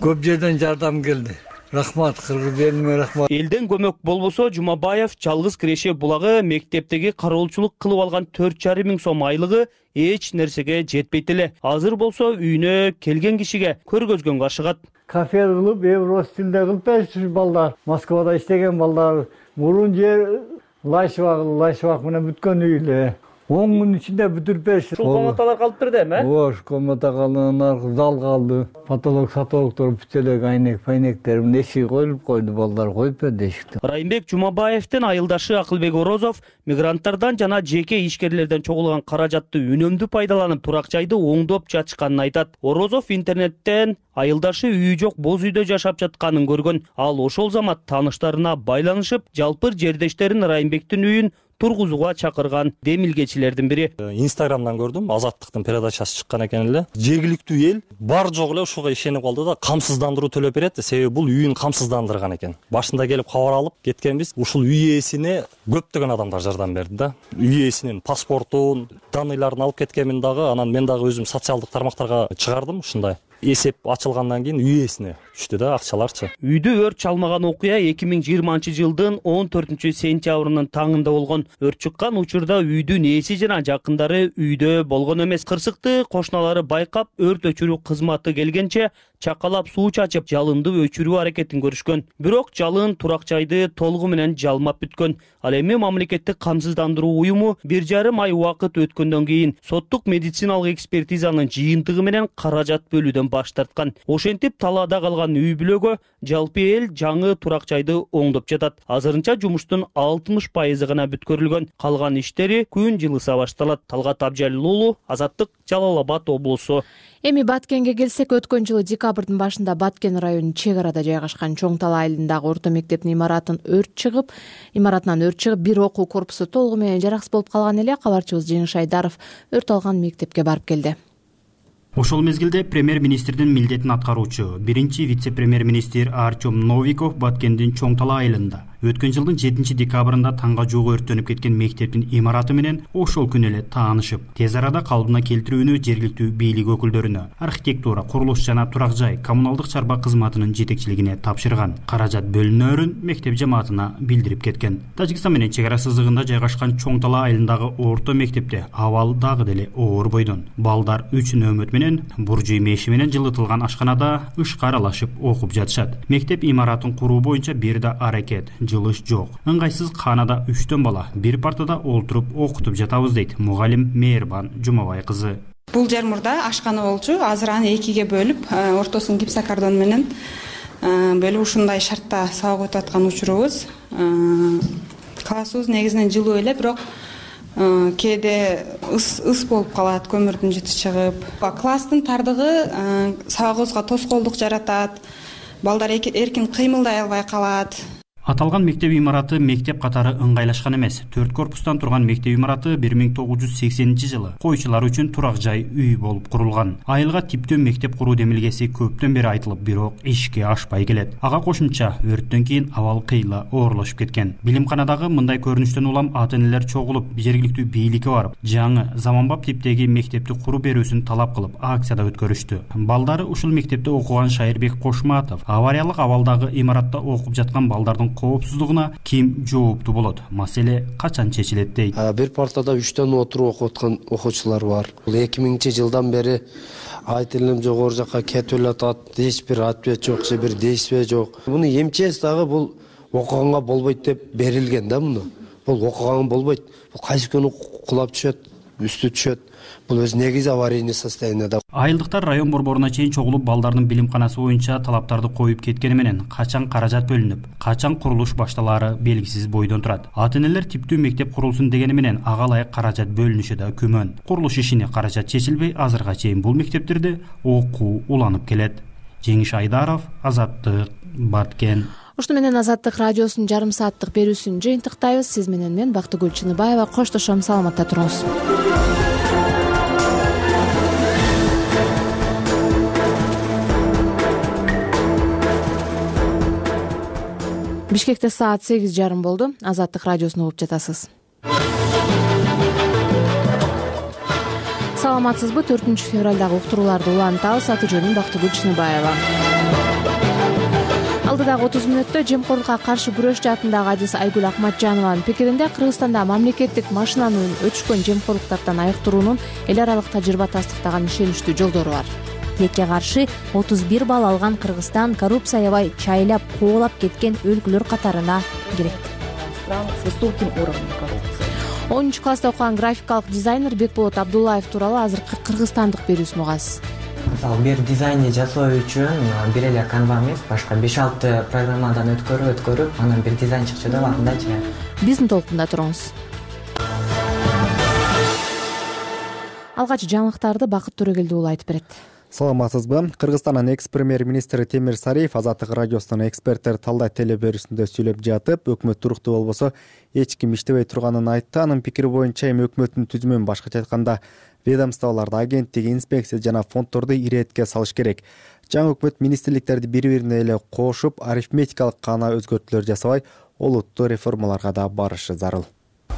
көп жерден жардам келди. Рахмат, кыргыз элине рахмат. Элден көмөк болбосо, Жумабаев Жалгыз Киреше булагы мектептеги кароолчулук кылып алган 4,5 миң сом айлыгы эч нерсеге жетпейт эле. Азыр болсо үйүнө келген кишиге көргөзгөнгө ашыгат. Кафе кылып, евро стилде кылып беришти балдар. Москвада иштеген балдар. Мурун жер лайшыбак менен бүткөн үй эле. 10 күн ичинде бүтүрүп беришти. Ушул комнаталар калып берди эми? Ооба, ушу комната калды, анан зал калды. Потолок, сатолоктор бүтөлөк айнек-пайнектер эшиги коюлуп койду, балдар коюп берди эшикти. Райымбек Жумабаевдин айылдашы Акылбек Орозов мигранттардан жана жеке ишкерлерден чогулган каражатты үнөмдүү пайдаланып турак жайды оңдоп жатышканын айтат. Орозов интернеттен айылдашы үйү жок боз үйдө жашап жатканын көргөн. Ал ошол замат тааныштарына байланышып, жалпыр жердештерин Райымбектин үйүн тургузууга чакырган демилгечилердин бири. Инстаграмдан көрдүм, Азаттыктын передачасы чыккан экен эле. Жергиликтүү эл бар жок эле ушуга ишенип калды да, камсыздандыруу төлөп берет, себеби бул үйүн камсыздандырган экен. Башында келип кабар алып кеткенбиз. Ушул үй ээсине көптөгөн адамдар жардам берди да. Үй ээсинин паспортун, данныйларын алып кеткенмин дагы, анан мен дагы өзүм социалдык тармактарга чыгардым ушундай. Эсеп ачылгандан кийин үй ээсине түштү да акчаларчы. Үйдү өрт чалмаган окуя 2020-жылдын 14-сентябрынын таңында болгон. Өрт чыккан учурда үйдүн ээси жана жакындары үйдө болгон эмес. Кырсыкты кошуналары байкап, өрт өчүрүү кызматы келгенче чакалап суу чачып, жалынды өчүрүү аракетин көрүшкөн. Бирок жалын турак жайды толугу менен жалмап бүткөн. Ал эми мамлекеттик камсыздандыруу уюму 1,5 ай убакыт өткөндөн кийин соттук медициналык экспертизанын жыйынтыгы менен каражат бөлүүдөн баш тарткан. Ошентип талаада калган үй бүлөгө жалпы эл жаңы турак жайды оңдоп жатат. Азырынча жумуштун 60% гана бүткөрүлгөн. Калган иштери күн жылыса башталат. Талгат Абжалил уулу, Азаттык, Жалал Абад облусу. Эми Баткенге келсек, өткөн жылы декабрдын башында Баткен районунун чек арада жайгашкан Чоң Талаа айылындагы орто мектептин имаратынан өрт чыгып, бир окуу корпусу толугу менен жараксыз болуп калган эле. Кабарчыбыз Жеңиш Айдаров өрт алган мектепке барып келди. Ошол мезгилде премьер-министрдин милдетин аткаруучу биринчи вице-премьер-министр Артем Новиков Баткендин Чоң Талаа айылында өткөн жылдын 7 декабрында таңга жугу өрттөнүп кеткен мектептин имараты менен ошол күнү эле таанышып, тез арада калыбына келтирүүнү жергиликтүү бийлик өкүлдөрүнө, архитектура, курулуш жана турак жай коммуналдык чарба кызматынын жетекчилигине тапшырган. Каражат бөлүнөөрүн мектеп жамаатына билдирип кеткен. Тажикстан менен чек ара сызыгында жайгашкан Чоң Талаа айылындагы орто мектепте абал дагы деле оор бойдон. Балдар 3 нөөмөт менен буржуй меши менен жылытылган ашканада ышка аралашып окуп жатышат. Мектеп имаратын куруу боюнча бир да аракет, жылыш жок. Ыңгайсыз канада 3 бала бир партада олтуруп окутуп жатабыз дейт мугалим Мээрбан Жумабай кызы. Бул жер мурда ашкана болчу, азыр аны 2ге бөлүп, ортосун гипсокартон менен бөлүп ушундай шартта сабак өтүп аткан учурубуз. Классыбыз негизинен жылуу эле, бирок кээде ыс болуп калат, көмүрдүн жыты чыгып. Класстын тардыгы сабагыбызга тоскоолдук жаратат. Балдар эркин кыймылдай албай калат. Аталган мектеп имараты мектеп катары ыңгайлашкан эмес. 4 корпустан турган мектеп имараты 1980-жылы койчулар үчүн турак жай үй болуп курулган. Айылга типтөө мектеп куруу демилгеси көптөн бери айтылып, бирок ишке ашпай келет. Ага кошумча өрттөн кийин абал кыйла оорлошуп кеткен. Билимканадагы мындай көрүнүштөн улам ата-энелер чогулуп, жергиликтүү бийликке барып, жаңы заманбап типтеги мектепти куруп берүүсүн талап кылып, акцияда өткөрүштү. Балдары ушул мектепте окуган Шайырбек Кошматов авариялык абалдагы имаратта окуп жаткан балдардын коопсуздугуна ким жооптуу болот, маселе качан чечилет дейт. Бир партада 3 отуруп окуп аткан окуучулар бар. Бул 2000-жылдан бери айт илим жогору жакка кетип элатат, эч бир ответ жок, же бир действие жок. Муну эмчеси дагы бул окуганга болбойт деп берилген да муну. Бул окуганга болбойт. Бул кайсы күнү кулап түшөт, үстү түшөт. Бул өз негизи аварийный состоянияда. Айылдыктар район борборуна чейин чогулуп балдардын билимканасы боюнча талаптарды коюп кеткени менен качан каражат бөлүнүп, качан курулуш башталаары белгисиз бойдон турат. Ата-энелер типтүү мектеп курулсун дегени менен ага ылайык каражат бөлүнүшү да күмөн. Курулуш ишине каражат чечилбей, азырга чейин бул мектептерде окуу уланып келет. Жеңиш Айдаров, Азаттык, Баткен. Ушуну менен Азаттык радиосунун жарым сааттык берүүсүн жыйынтыктайбыз. Сиз менен мен Бактыгүл Чыныбаева коштошом. Саламатта туруңуз. Бишкекте саат 8:30 болду. Азаттык радиосун угуп жатасыз. Саламатсызбы? 4-февралдагы уктурууларды улантабыз. Аты жөнүм Бактыгүл Чыныбаева. Алдыдагы 30 мүнөттө жемкорлукка каршы күрөш жаатындагы адис Айгүл Акматжанованын пикиринде Кыргызстанда мамлекеттик машинанын өчкөн жемкорлуктардан айыктыруунун эл аралык тажрыйба тастыктаган ишеничтүү жолдору бар. Тилекке каршы 31 балл алган Кыргызстан коррупция аябай чайлап куулап кеткен өлкөлөр катарына кирет. Стран с высоким уровнем коррупции. 10-класста окуган графикалык дизайнер Бекболот Абдуллаев тууралуу азыркы кыргызстандык берүүсүн угасыз. Мисалы, бир дизайнди жасоо үчүн бир эле канва эмес, башка 5-6 программадан өткөрүп, анан бир дизайн чыкчу деп атындачы. Биздин толкунда туруңуз. Алгач жаңылыктарды Бакыт Төрөгелди уулу айтып берет. Саламатсызбы? Кыргызстандын экс-премьер-министри Темир Сариев Азаттык радиосунун эксперттер талдаа телеберүүсүндө сүйлөп жатып, өкмөт туруктуу болбосо эч ким иштебей турганын айтты. Анын пикири боюнча эми өкмөттүн түзүмүн башкача айтканда ведомстволорду, агенттик, инспекция жана фонддорду иретке салыш керек. Жаңы өкмөт министрликтерди бири-бирине эле кошуп, арифметикалык гана өзгөртүүлөр жасабай, олуттуу реформаларга да барышы зарыл.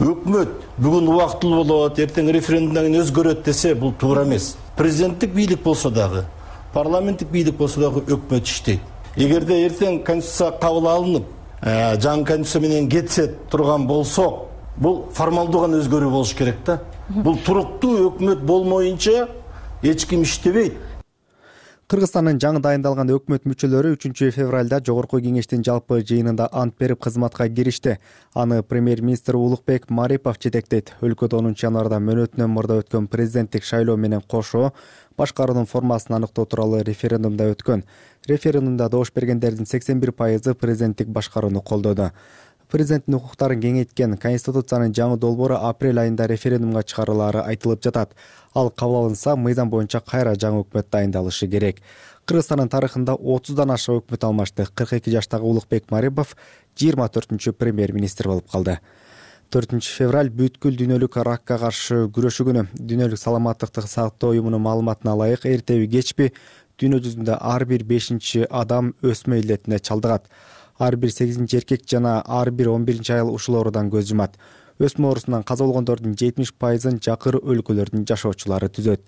Өкмөт бүгүн убактылуу болот, эртең референдумдан кийин өзгөрөт десе, бул туура эмес. Президенттик бийлик болсо дагы, парламенттик бийлик болсо дагы өкмөт иштейт. Эгерде эртең конституция кабыл алынып, жаңы конституция менен кетсе турган болсо, бул формалдуу гана өзгөрүү болуш керек да. Бул туруктуу өкмөт болмоюнча эч ким иштебейт. Кыргызстандын жаңы дайындалган өкмөт мүчөлөрү 3-февралда жогорку кеңештин жалпы жыйынында ант берип кызматка киришти. Аны премьер-министр Улукбек Марипов жетектейт. Өлкөдө 10 январда мөөнөтүнөн мурда өткөн президенттик шайлоо менен кошо башкаруунун формасын аныктоо тууралуу референдумда өткөн. Референдумда добуш бергендердин 81% президенттик башкарууну колдоду. Президенттин укуктарын кеңейткен Конституциянын жаңы долбоору апрель айында референдумга чыгарылаары айтылып жатат. Ал кабыл алынса, мыйзам боюнча кайра жаңы өкмөт дайындалышы керек. Кыргызстандын тарыхында 30дан аша өкмөт алмашты. 42 жаштагы Улукбек Марипов 24-чү премьер-министр болуп калды. 4-февраль бүткүл дүйнөлүк ракка каршы күрөшүү күнү. Дүйнөлүк саламаттыкты сактоо уюмунун маалыматына ылайык, эртеби кечпи дүйнө жүзүндө ар бир 5-чи адам өсмө илдетине чалдыгат. Ар бир 8-чи эркек жана ар бир 11-чи айыл ушул оорудан көз жумат. Өсмө оорусунан каза болгондордун 70%-ын жакыр өлкөлөрдүн жашоочулары түзөт.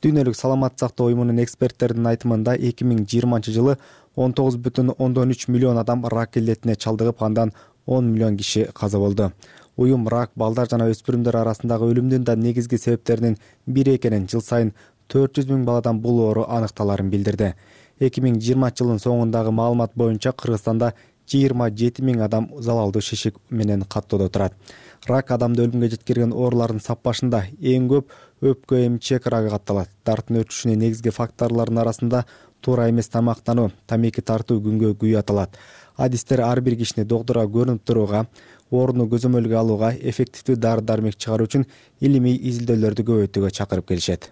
Дүйнөлүк саламат сактоо уюмунун эксперттердин айтымында 2020-жылы 19,3 миллион адам рак илдетине чалдыгып, андан 10 миллион киши каза болду. Уюм рак балдар жана өспүрүмдөр арасындагы өлүмдүн да негизги себептеринин бири экенин, жыл сайын 400 000 баладан бул оору аныкталарын билдирди. 2020-жылдын соңундагы маалымат боюнча Кыргызстанда 27 000 адам залалдуу шишик менен каттоодо турат. Рак адамды өлүмгө жеткирген оорулардын саппашында эң көп өпкө эмчек рагы катталат. Дарттын өтүшүнүн негизги факторлорунун арасында туура эмес тамактануу, тамеки тартуу күнгө күйүү аталат. Адистер ар бир кишини доктурга көрүнүп турууга, ооруну көзөмөлгө алууга, эффективдүү дары-дармек чыгаруу үчүн илимий изилдөөлөрдү көбөйтүүгө чакырып келишет.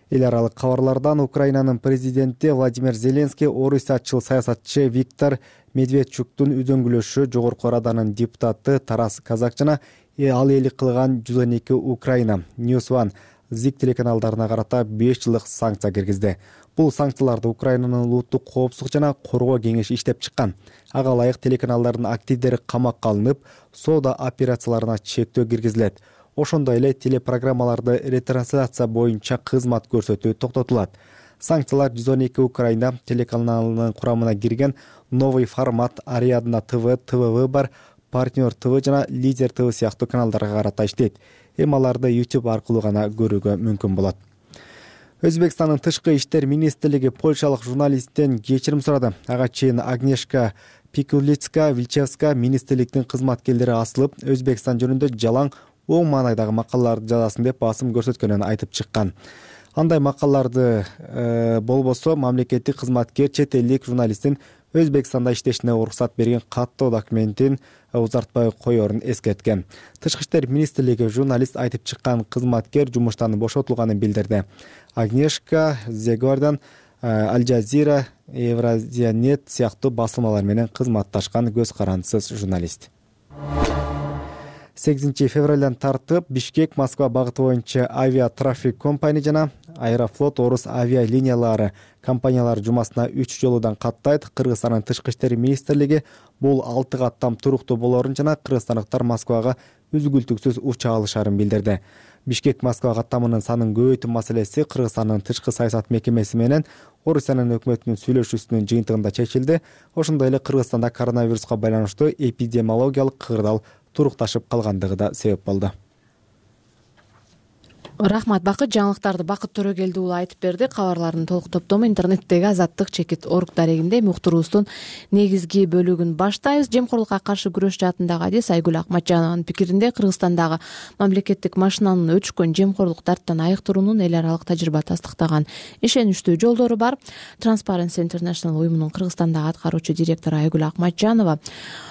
Эл аралык кабарлардан Украинанын президенти Владимир Зеленский орусиячыл саясатчы Виктор Медведчуктун үзөңгүлөшү жогорку раданын депутаты Тарас Казак жана ал элик кылган 112 Украина, News One, Zik телеканалдарына карата 5 жылдык санкция киргизди. Бул санкцияларды Украинанын улуттук коопсуздук жана коргоо кеңеши иштеп чыккан. Ага ылайык телеканалдардын активдери камакка алынып, соода операцияларына чектөө киргизилет. Ошондой эле телепрограммаларды ретрансляция боюнча кызмат көрсөтүү токтотулат. Санкциялар 112 Украина телеканалынын курамына кирген Новый формат, Ариадна ТВ, ТВ Выбор, Партнер ТВ жана Лидер ТВ сыяктуу каналдарга карата иштейт. Эми аларды YouTube аркылуу гана көрүүгө мүмкүн болот. Өзбекстандын тышкы иштер министрлиги польшалык журналисттен кечирим сурады. Ага чейин Агнешка Пикулицка-Вильчевска министрликтин кызматкерлери асылып, Өзбекстан жөнүндө жалаң оң маанайдагы макалаларды жазасын деп басым көрсөткөнүн айтып чыккан. Андай макалаларды болбосо мамлекеттик кызматкер чет элдик журналисттин Өзбекстанда иштешине уруксат берген каттоо документин узартпай коерун эскерткен. Тышкы иштер министрлиги журналист айтып чыккан кызматкер жумуштан бошотулганын билдирди. Агнешка Зегордан Аль Джазира, Евразиянет сыяктуу басылмалар менен кызматташкан көз карандысыз журналист. 8 февралдан тартып Бишкек Москва багыты боюнча авиатрафик компания жана Аэрофлот Орус авиалиниялары компаниялары жумасына 3 жолудан каттайт. Кыргызстандын тышкы иштер министрлиги бул 6 каттам туруктуу болорун жана кыргызстандыктар Москвага үзгүлтүксүз уча алышарын билдирди. Бишкек Москва каттамынын санын көбөйтүү маселеси Кыргызстандын тышкы саясат мекемеси менен Орусиянын өкмөтүнүн сүйлөшүүсүнүн жыйынтыгында чечилди. Ошондой эле Кыргызстанда коронавируска байланыштуу эпидемиологиялык кырдаал турукташып калгандыгы да себеп болду. Рахмат Бакыт, жаңылыктарды Бакыт Төрөгелди уулу айтып берди. Кабарлардын толук топтому интернеттеги Азаттык чекит орг дарегинде. Уктуруубуздун негизги бөлүгүн баштайбыз. Жемкорлукка каршы күрөш жаатындагы адис Айгүл Акматжанованын пикиринде Кыргызстандагы мамлекеттик машинанын өчкөн жемкорлук тарптан айыктыруунун эл аралык тажрыйба тастыктаган ишеничтүү жолдору бар. Transparency International уюмунун Кыргызстандагы аткаруучу директору Айгүл Акматжанова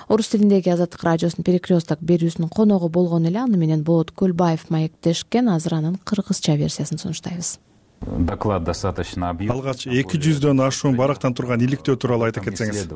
орус тилиндеги Азаттык радиосунун перекресток берүүсүнүн коногу болгон эле. Аны менен Болот Көлбаев маектешкен. Азыр анын кыргызча версиясын сунуштайбыз. Доклад достаточно объемный. Алгач 200дөн ашуун барактан турган иликтөө тууралуу айта кетсеңиз.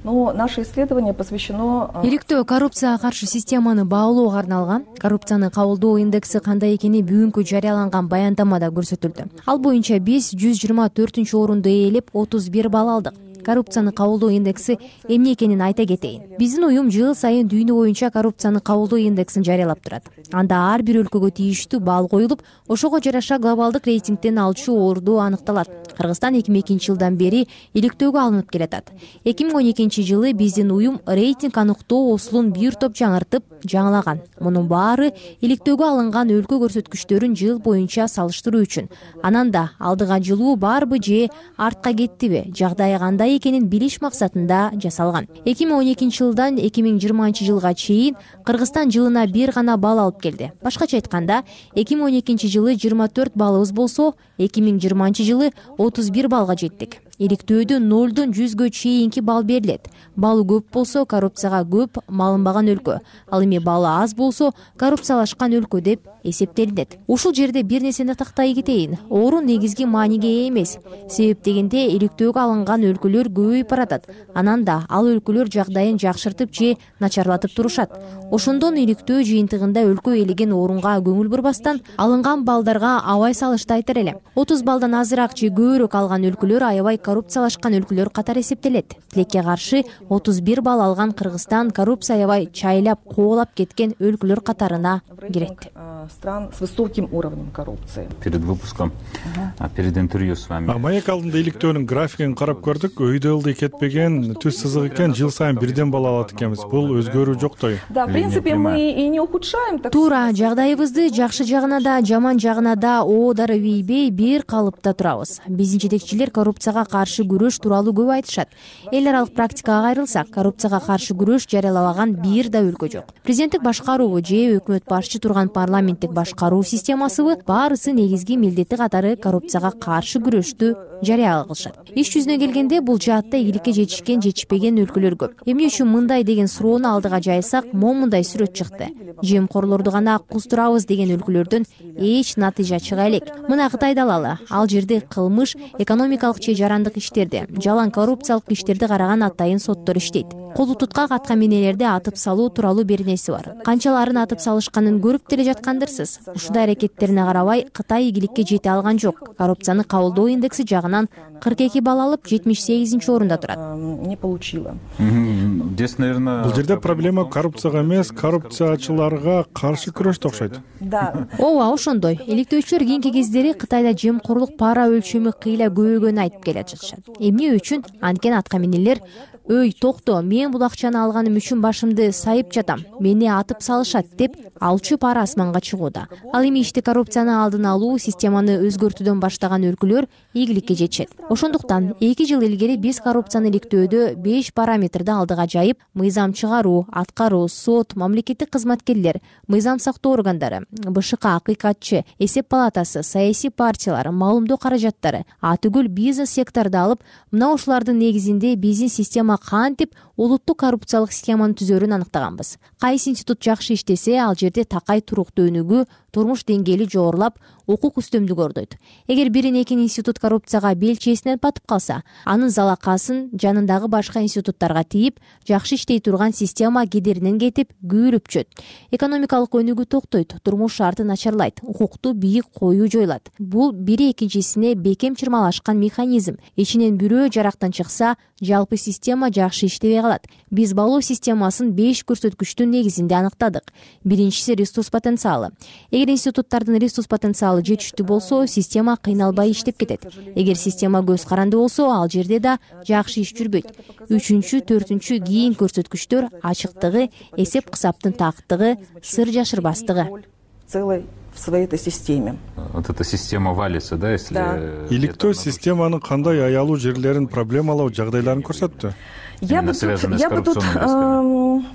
Наше исследование посвящено иликтөө коррупцияга каршы системаны баалоого арналган. Коррупцияны кабылдоо индекси кандай экени бүгүнкү жарыяланган баяндамада көрсөтүлдү. Ал боюнча биз 124-орунду ээлеп 31 балл алдык. Коррупцияны кабылдоо индекси эмне экенин айта кетейин. Биздин уюм жыл сайын дүйнө боюнча коррупцияны кабылдоо индексин жарыялап турат. Анда ар бир өлкөгө тийиштүү балл коюлуп, ошого жараша глобалдык рейтингден алчу орду аныкталат. Кыргызстан 2002 жылдан бери иликтөөгө алынып келатат. 2012 жылы биздин уюм рейтинг аныктоо осулун бир топ жаңыртып, жаңылаган. Мунун баары иликтөөгө алынган өлкө көрсөткүчтөрүн жыл боюнча салыштыруу үчүн. Анан да алдыга жылуу барбы же артка кеттиби, жагдайы кандай экенин билиш максатында жасалган. 2012 жылдан 2020 жылга чейин Кыргызстан жылына бир гана балл алып келди. Башкача айтканда, 2012 жылы 24 баллыбыз болсо, 2020 жылы 31 баллга жеттик. Иликтөөдө 0-дон 100гө чейинки балл берилет. Баллы көп болсо коррупцияга көп малынбаган өлкө. Ал эми баллы аз болсо коррупциялашкан өлкө деп эсептелинет. Ушул жерде бир нерсени тактай кетейин. Орун негизги мааниге ээ эмес. Себеп дегенде иликтөөгө алынган өлкөлөр көбөйүп баратат. Анан да ал өлкөлөр жагдайын жакшыртып же начарлатып турушат. Ошондон иликтөө жыйынтыгында өлкө ээлеген орунга көңүл бурбастан алынган баллдарга абай салышты айтар элем. 30 баллдан азыраак же көбүрөөк алган өлкөлөр аябай коррупциялашкан өлкөлөр катары эсептелет. Тилекке каршы 31 балл алган Кыргызстан коррупция аябай чайлап, коолап кеткен өлкөлөр катарына кирет. Стран с высоким уровнем коррупции. Перед выпуском, перед интервью с вами. Маек алдында иликтөөнүн графигин карап көрдүк. Өйдө ылдый кетпеген, түз сызык экен, жыл сайын бирден балл алат экенбиз. Бул өзгөрүү жоктой. Да, в принципе, мы и не ухудшаем. Туура, жагдайыбызды жакшы жагына да, жаман жагына да оодары ийбей бир калыпта турабыз. Биздин жетекчилер коррупцияга каршы күрөш тууралуу көп айтышат. Эл аралык практикага кайрылсак, коррупцияга каршы күрөш жарыялабаган бир да өлкө жок. Президенттик башкаруубу же өкмөт башчы турган парламенттик башкаруу системасыбы баарысы негизги милдети катары коррупцияга каршы күрөштү жарыя кылышат. Иш жүзүнө келгенде бул жаатта ийгиликке жетишкен, жетишпеген өлкөлөр көп. Эмне үчүн мындай деген суроону алдыга жайсак, момундай сүрөт чыкты. Жемкорлорду гана куздурабыз деген өлкөлөрдөн эч натыйжа чыга элек. Мына Кытайды алалы. Ал жерде кылмыш, экономикалык же жарандык иштерди, жалаң коррупциялык иштерди караган атайын соттор иштейт. Колу туткак аткаминелерди атып салуу тууралуу беренеси бар. Канчаларын атып салышканын көрүп деле жаткандырсыз. Ушундай аракеттерине карабай Кытай ийгиликке жете алган жок. Коррупцияны кабылдоо индекси жагат жагынан 42 балл алып 78 орунда турат. Не получила. Здесь, наверное, бул жерде проблема коррупцияга эмес, коррупциячыларга каршы күрөштө окшойт. Да. Ооба, ошондой. Иликтөөчүлөр кийинки кездери Кытайда жемкорлук пара өлчөмү кыйла көбөйгөнүн айтып келе жатышат. Эмне үчүн? Анткени атка минерлер «Өй, токто, мен бул акчаны алганым үчүн башымды сайып жатам, мени атып салышат» деп алчу пара асманга чыгууда. Ал эми ишти коррупцияны алдын алуу, системаны өзгөртүүдөн баштаган өлкөлөр ийгиликке жетишет. Ошондуктан 2 жыл илгери биз коррупцияны иликтөөдө 5 параметрди алдыга жайып, мыйзам чыгаруу, аткаруу, сот, мамлекеттик кызматкерлер, мыйзам сактоо органдары, БШК, акыйкатчы, эсеп палатасы, саясий партиялар, маалымдоо каражаттары, атүгүл бизнес секторду алып, мына ушулардын негизинде биздин система кантип улуттук коррупциялык схеманы түзөрүн аныктаганбыз. Кайсы институт жакшы иштесе, ал жерде такай туруктуу өнүгүү, турмуш деңгээли жогорулап, укук үстөмдүк ордойт. Эгер бирин экин институт коррупцияга белчесинен батып калса, анын залакасын жанындагы башка институттарга тийип, жакшы иштей турган система кедеринен кетип, күйрүп чөт. Экономикалык өнүгүү токтойт, турмуш шарты начарлайт, укукту бийик коюу жоюлат. Бул бири экинчисине бекем чырмалашкан механизм. Ичинен бирөө жарактан чыкса, жалпы система жакшы иштебей калат. Биз балоо системасын 5 көрсөткүчтүн негизинде аныктадык. Биринчиси ресурс потенциалы. Эгер институттардын ресурс потенциалы жетиштүү болсо, система кыйналбай иштеп кетет. Эгер система көз каранды болсо, ал жерде да жакшы иш жүрбөйт. 3-чү, 4-чү кийин көрсөткүчтөр ачыктыгы, эсеп кысаптын тактыгы, сыр жашырбастыгы. Целой в своей этой системе. Вот эта система валится, да, если... Иликтөө системанын кандай аялуу жерлерин проблемалуу жагдайларын көрсөттү? Я бы тут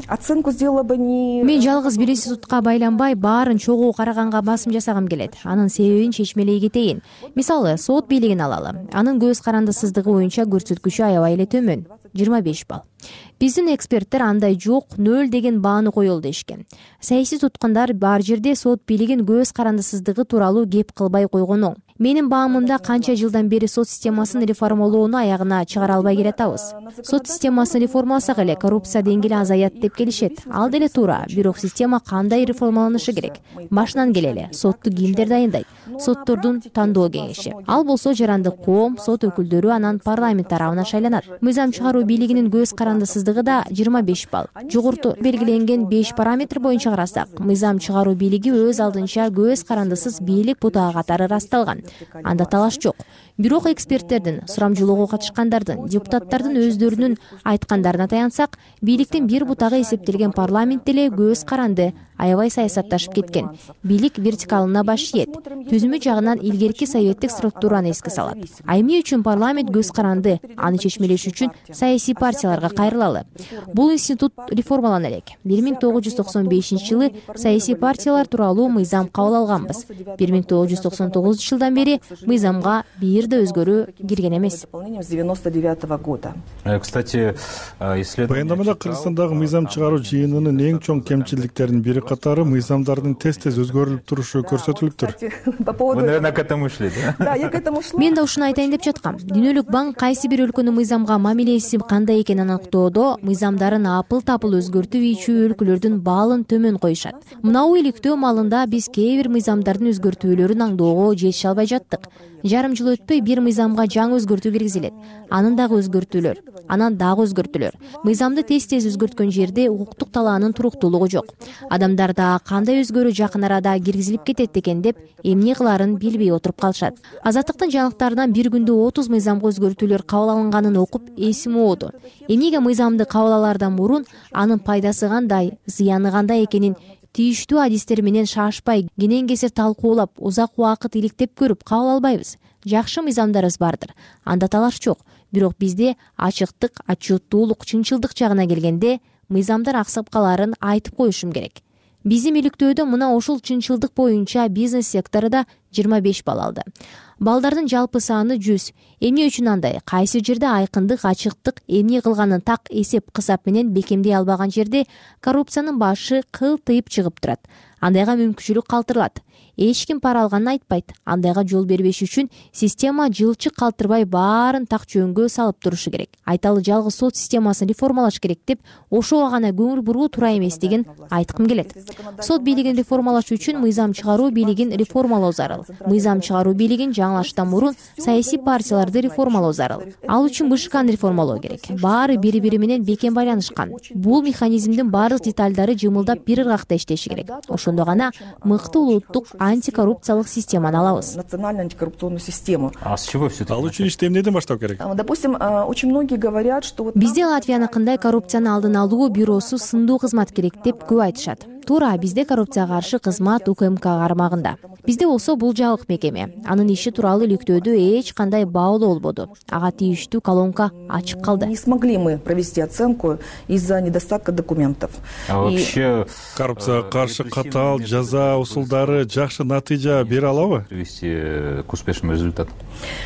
оценку сделала бы не... Мен жалгыз бир институтка байланбай, баарын чогуу караганга басым жасагым келет. Анын себебин чечмелей кетейин. Мисалы, сот бийлигин алалы. Анын көз карандысыздыгы боюнча көрсөткүчү аябай эле төмөн, 25 балл. Биздин эксперттер андай жок, 0 деген бааны коелу дешкен. Саясий туткундар бар жерде сот бийлигин көз карандысыздыгы тууралуу кеп кылбай койгон оң. Менин баамымда канча жылдан бери сот системасын реформалоону аягына чыгара албай келатабыз. Сот системасын реформаласак эле коррупция деңгээли азаят деп келишет. Ал деле туура, бирок система кандай реформаланышы керек? Башынан келели, сотту кимдер дайындайт? Соттордун тандоо кеңеши. Ал болсо жарандык коом, сот өкүлдөрү анан парламент тарабынан шайланат. Мыйзам чыгаруу бийлигинин көз карандысыздыгы да 25 балл. Жогоруда белгиленген 5 параметр боюнча карасак, мыйзам чыгаруу бийлиги өз алдынча көз карандысыз бийлик бутагы катары ырасталган. Анда талаш жок. Бирок эксперттердин, сурамжылоого катышкандардын, депутаттардын өздөрүнүн айткандарына таянсак, бийликтин бир бутагы эсептелген парламент деле көз каранды, аябай саясатташып кеткен. Бийлик вертикалына баш ийет. Түзүмү жагынан илгерки советтик структураны эске салат. А эмне үчүн парламент көз каранды? Аны чечмелеш үчүн саясий партияларга кайрылалы. Бул институт реформалана элек. 1995-жылы саясий партиялар тууралуу мыйзам кабыл алганбыз. 1999-жылдан бери мыйзамга бир да өзгөрүү кирген эмес. С 99 года. Кстати, баяндамада Кыргызстандагы мыйзам чыгаруу жыйынынын эң чоң кемчиликтеринин бири катары мыйзамдардын тез-тез өзгөрүлүп турушу көрсөтүлүптүр. Вы, наверное, к этому шли, да? Да, я к этому шла. Мен да ушуну айтайын деп жаткам. Дүйнөлүк банк кайсы бир өлкөнүн мыйзамга мамилеси кандай экенин аныктоодо мыйзамдарын апыл-тапыл өзгөртүп ийчү өлкөлөрдүн балын төмөн коюшат. Мынау иликтөө маалында биз кээ бир мыйзамдардын өзгөртүүлөрүн аңдоого жетише албай жаттык. Жарым жыл өтпөй бир мыйзамга жаңы өзгөртүү киргизилет. Анын дагы өзгөртүүлөр, анан дагы өзгөртүүлөр. Мыйзамды тез-тез өзгөрткөн жерде укуктук талаанын туруктуулугу жок. Адамдар да кандай өзгөрүү жакын арада киргизилип кетет экен деп эмне кыларын билбей отуруп калышат. Азаттыктын жаңылыктарынан бир күндө 30 мыйзамга өзгөртүүлөр кабыл алынганын окуп эсим ооду. Эмнеге мыйзамды кабыл алаардан мурун анын пайдасы кандай, зыяны кандай экенин тийиштүү адистер менен шашпай, кенен кесир талкуулап, узак убакыт иликтеп көрүп кабыл албайбыз. Жакшы мыйзамдарыбыз бардыр. Анда талаш жок. Бирок бизде ачыктык, отчеттуулук, чынчылдык жагына келгенде мыйзамдар аксап каларын айтып коюшум керек. Биздин иликтөөдө мына ушул чынчылдык боюнча бизнес сектору да 25 балл алды. Балдардын жалпы саны 100. Эмне үчүн андай? Кайсы жерде айкындык, ачыктык, эмне кылганын так эсеп кысап менен бекемдей албаган жерде коррупциянын башы кылтыйып чыгып турат. Андайга мүмкүнчүлүк калтырылат. Эч ким пара алганын айтпайт. Андайга жол бербеш үчүн система жылчык калтырбай баарын так жөнгө салып турушу керек. Айталы жалгыз сот системасын реформалаш керек деп ошого гана көңүл буруу туура эмес деген айткым келет. Сот бийлигин реформалаш үчүн мыйзам чыгаруу бийлигин реформалоо зарыл. зарыл. Мыйзам чыгаруу бийлигин жаңылаштан мурун саясий партияларды реформалоо зарыл. Ал үчүн БШКны реформалоо керек. Баары бири-бири менен бекем байланышкан. Бул механизмдин баардык детальдары жымылдап бир ыргакта иштеши керек. Ошондо гана мыкты улуттук антикоррупциялык системаны алабыз. Национальную антикоррупционную систему. А с чего все это? Ал үчүн ишти эмнеден баштап керек? Допустим, очень многие говорят, что Бизде Латвияныкындай коррупцияны алдын алуу бюросу сындуу кызмат керек деп көп айтышат. Туура, бизде коррупцияга каршы кызмат УКМК кармагында. Бизде болсо бул жабык мекеме. Анын иши тууралуу иликтөөдө эч кандай баалоо болбоду. Ага тийиштүү колонка ачык калды. Не смогли мы провести оценку из-за недостатка документов. А вообще коррупцияга каршы катаал жаза усулдары жакшы натыйжа бере алабы? Привести к успешному результату?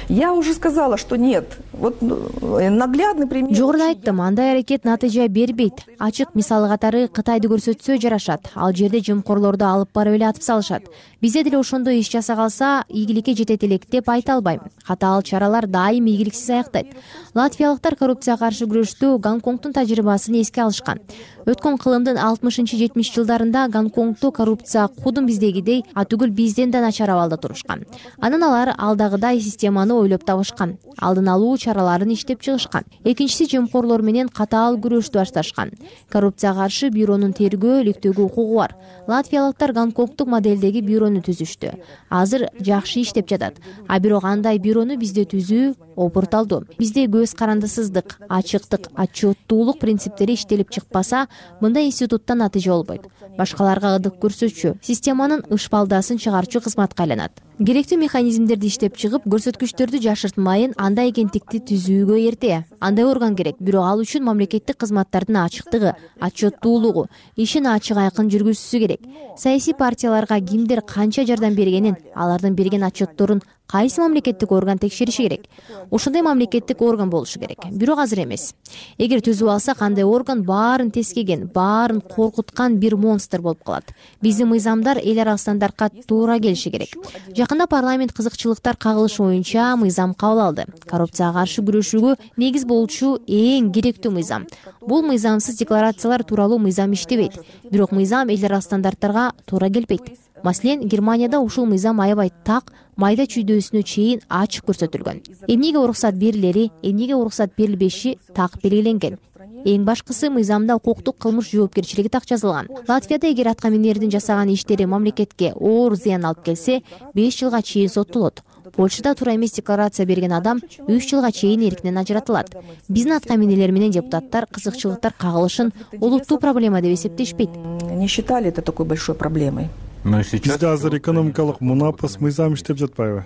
Я уже сказала, что нет. Вот наглядный пример. Жогоруда айттым, андай аракет натыйжа бербейт. Ачык мисалы катары Кытайды көрсөтсө жарашат. Ал жерде жымкорлорду алып барып эле атып салышат. Бизде деле ошондой иш жаса калса, ийгиликке жетет элек деп айта албайм. Катаал чаралар дайым ийгиликсиз аяктайт. Латвиялыктар коррупцияга каршы күрөштө Гонконгдун тажрыйбасын эске алышкан. Өткөн кылымдын 60-70 жылдарында Гонконгдо коррупция кудум биздегидей, атүгүл бизден да начар абалда турушкан. Анан алар алдагыдай системаны ойлоп табышкан. Алдын алуу чараларын иштеп чыгышкан. Экинчиси жымкорлор менен катаал күрөштү башташкан. Коррупцияга каршы бюронун тергөө, иликтөөгө укугу бар. Латвиялыктар Гонконгдук модельдеги бюрону түзүштү. Азыр жакшы иштеп жатат. А бирок андай бюрону бизде түзүү опурталдуу. Бизде көз карандысыздык, ачыктык, отчеттуулук принциптери иштелип чыкпаса, мындай институттан натыйжа болбойт. Башкаларга ыдык көрсөтчү, системанын ышпалдасын чыгарчу кызматка айланат. Керектүү механизмдерди иштеп чыгып, көрсөткүчтөрдү жашыртмайын, андай агенттикти түзүүгө эрте. Андай орган керек, бирок ал үчүн мамлекеттик кызматтардын ачыктыгы, отчеттуулугу, ишин ачык айкын жүргүзүшү керек. Саясий партияларга кимдер канча жардам бергенин, алардын берген отчетторун кайсы мамлекеттик орган текшериши керек. Ошондой мамлекеттик орган болушу керек. Бирок азыр эмес. Эгер түзүп алсак, андай орган баарын тескеген, баарын коркуткан бир монстр болуп калат. Биздин мыйзамдар эл ара стандартка туура келиши керек. Жакында парламент кызыкчылыктар кагылышы боюнча мыйзам кабыл алды. Коррупцияга каршы күрөшүүгө негиз болчу эң керектүү мыйзам. Бул мыйзамсыз декларациялар тууралуу мыйзам иштебейт. Бирок мыйзам эл ара стандарттарга туура келбейт. Маселен, Германияда ушул мыйзам аябай так, майда чүйдөөсүнө чейин ачык көрсөтүлгөн. Эмнеге уруксат берилери, эмнеге уруксат берилбеши так белгиленген. Эң башкысы, мыйзамда укуктук кылмыш жоопкерчилиги так жазылган. Латвияда эгер атка минердин жасаган иштери мамлекетке оор зыян алып келсе, 5 жылга чейин соттолот. Польшада туура эмес декларация берген адам 3 жылга чейин эркинен ажыратылат. Биздин атка минелер менен депутаттар кызыкчылыктар кагылышын олуттуу проблема деп эсептешпейт. Не считали это такой большой проблемой. Бизде азыр экономикалык мунапас мыйзам иштеп жатпайбы?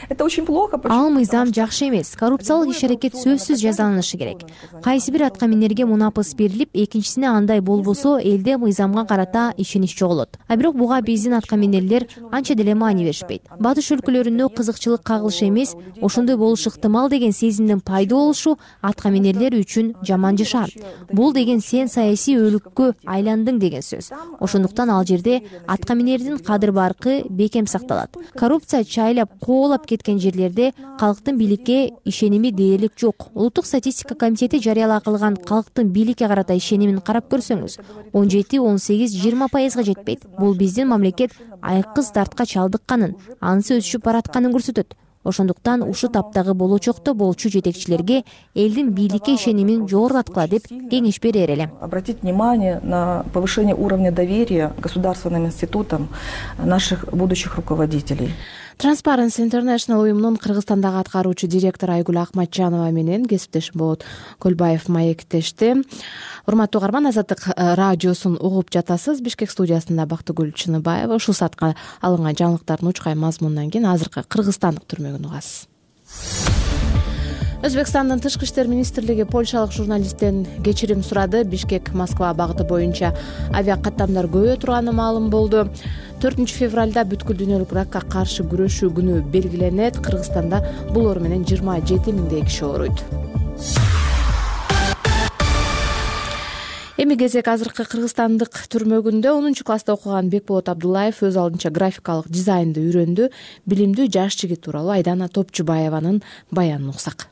Это очень плохо. Ал мыйзам жакшы эмес. Коррупциялык иш-аракет сөзсүз жазаланышы керек. Кайсы бир атка минерге мунапас берилип, экинчисине андай болбосо, элде мыйзамга карата ишенич жоголот. А бирок буга биздин атка минерлер анча деле маани беришпейт. Батыш өлкөлөрүндө кызыкчылык кагылышы эмес, ошондой болушу ыктымал деген сезимдин пайда болушу атка минерлер үчүн жаман жашаа. Бул деген сен саясий өлүккө айландың деген сөз. Ошондуктан ал жерде атка минердин кадыр баркы бекем сакталат. Коррупция чайлап, коолап кеткен жерлерде калктын бийликке ишеними дээрлик жок. Улуттук статистика комитети жарыялаа кылган калктын бийликке карата ишенимин карап көрсөңүз, 17-18-20% жетпейт. Бул биздин мамлекет айкыз дартка чалдыкканын, анысы өсүшүп баратканын көрсөтөт. Ошондуктан ушу таптагы болочокто болчу жетекчилерге элдин бийликке ишенимин жогорулаткыла деп кеңеш берер элем. Обратить внимание на повышение уровня доверия государственным институтам наших будущих руководителей. Transparency International уюмунун Кыргызстандагы аткаруучу директору Айгүл Акматжанова менен кесиптешим Болот Көлбаев маектешти. Урматтуу угарман, Азаттык радиосун угуп жатасыз. Бишкек студиясында Бактыгүл Чыныбаева. Ушул саатка алынган жаңылыктардын учкай мазмунунан кийин азыркы кыргызстандык түрмөгүн угасыз. Өзбекстандын Тышкы иштер министрлиги польшалык журналисттен кечирим сурады. Бишкек Москва багыты боюнча авиа каттамдар көбөйө турганы маалым болду. 4 февралда бүткүл дүйнөлүк ракка каршы күрөшүү күнү белгиленет. Кыргызстанда бул оор менен 27 миңдей киши ооруйт. Эми кезек азыркы кыргызстандык түрмөгүндө 10-класста окуган Бекболот Абдуллаев өз алдынча графикалык дизайнды үйрөндү. Билимдүү жаш жигит тууралуу Айдана Топчубаеванын баянын уксак.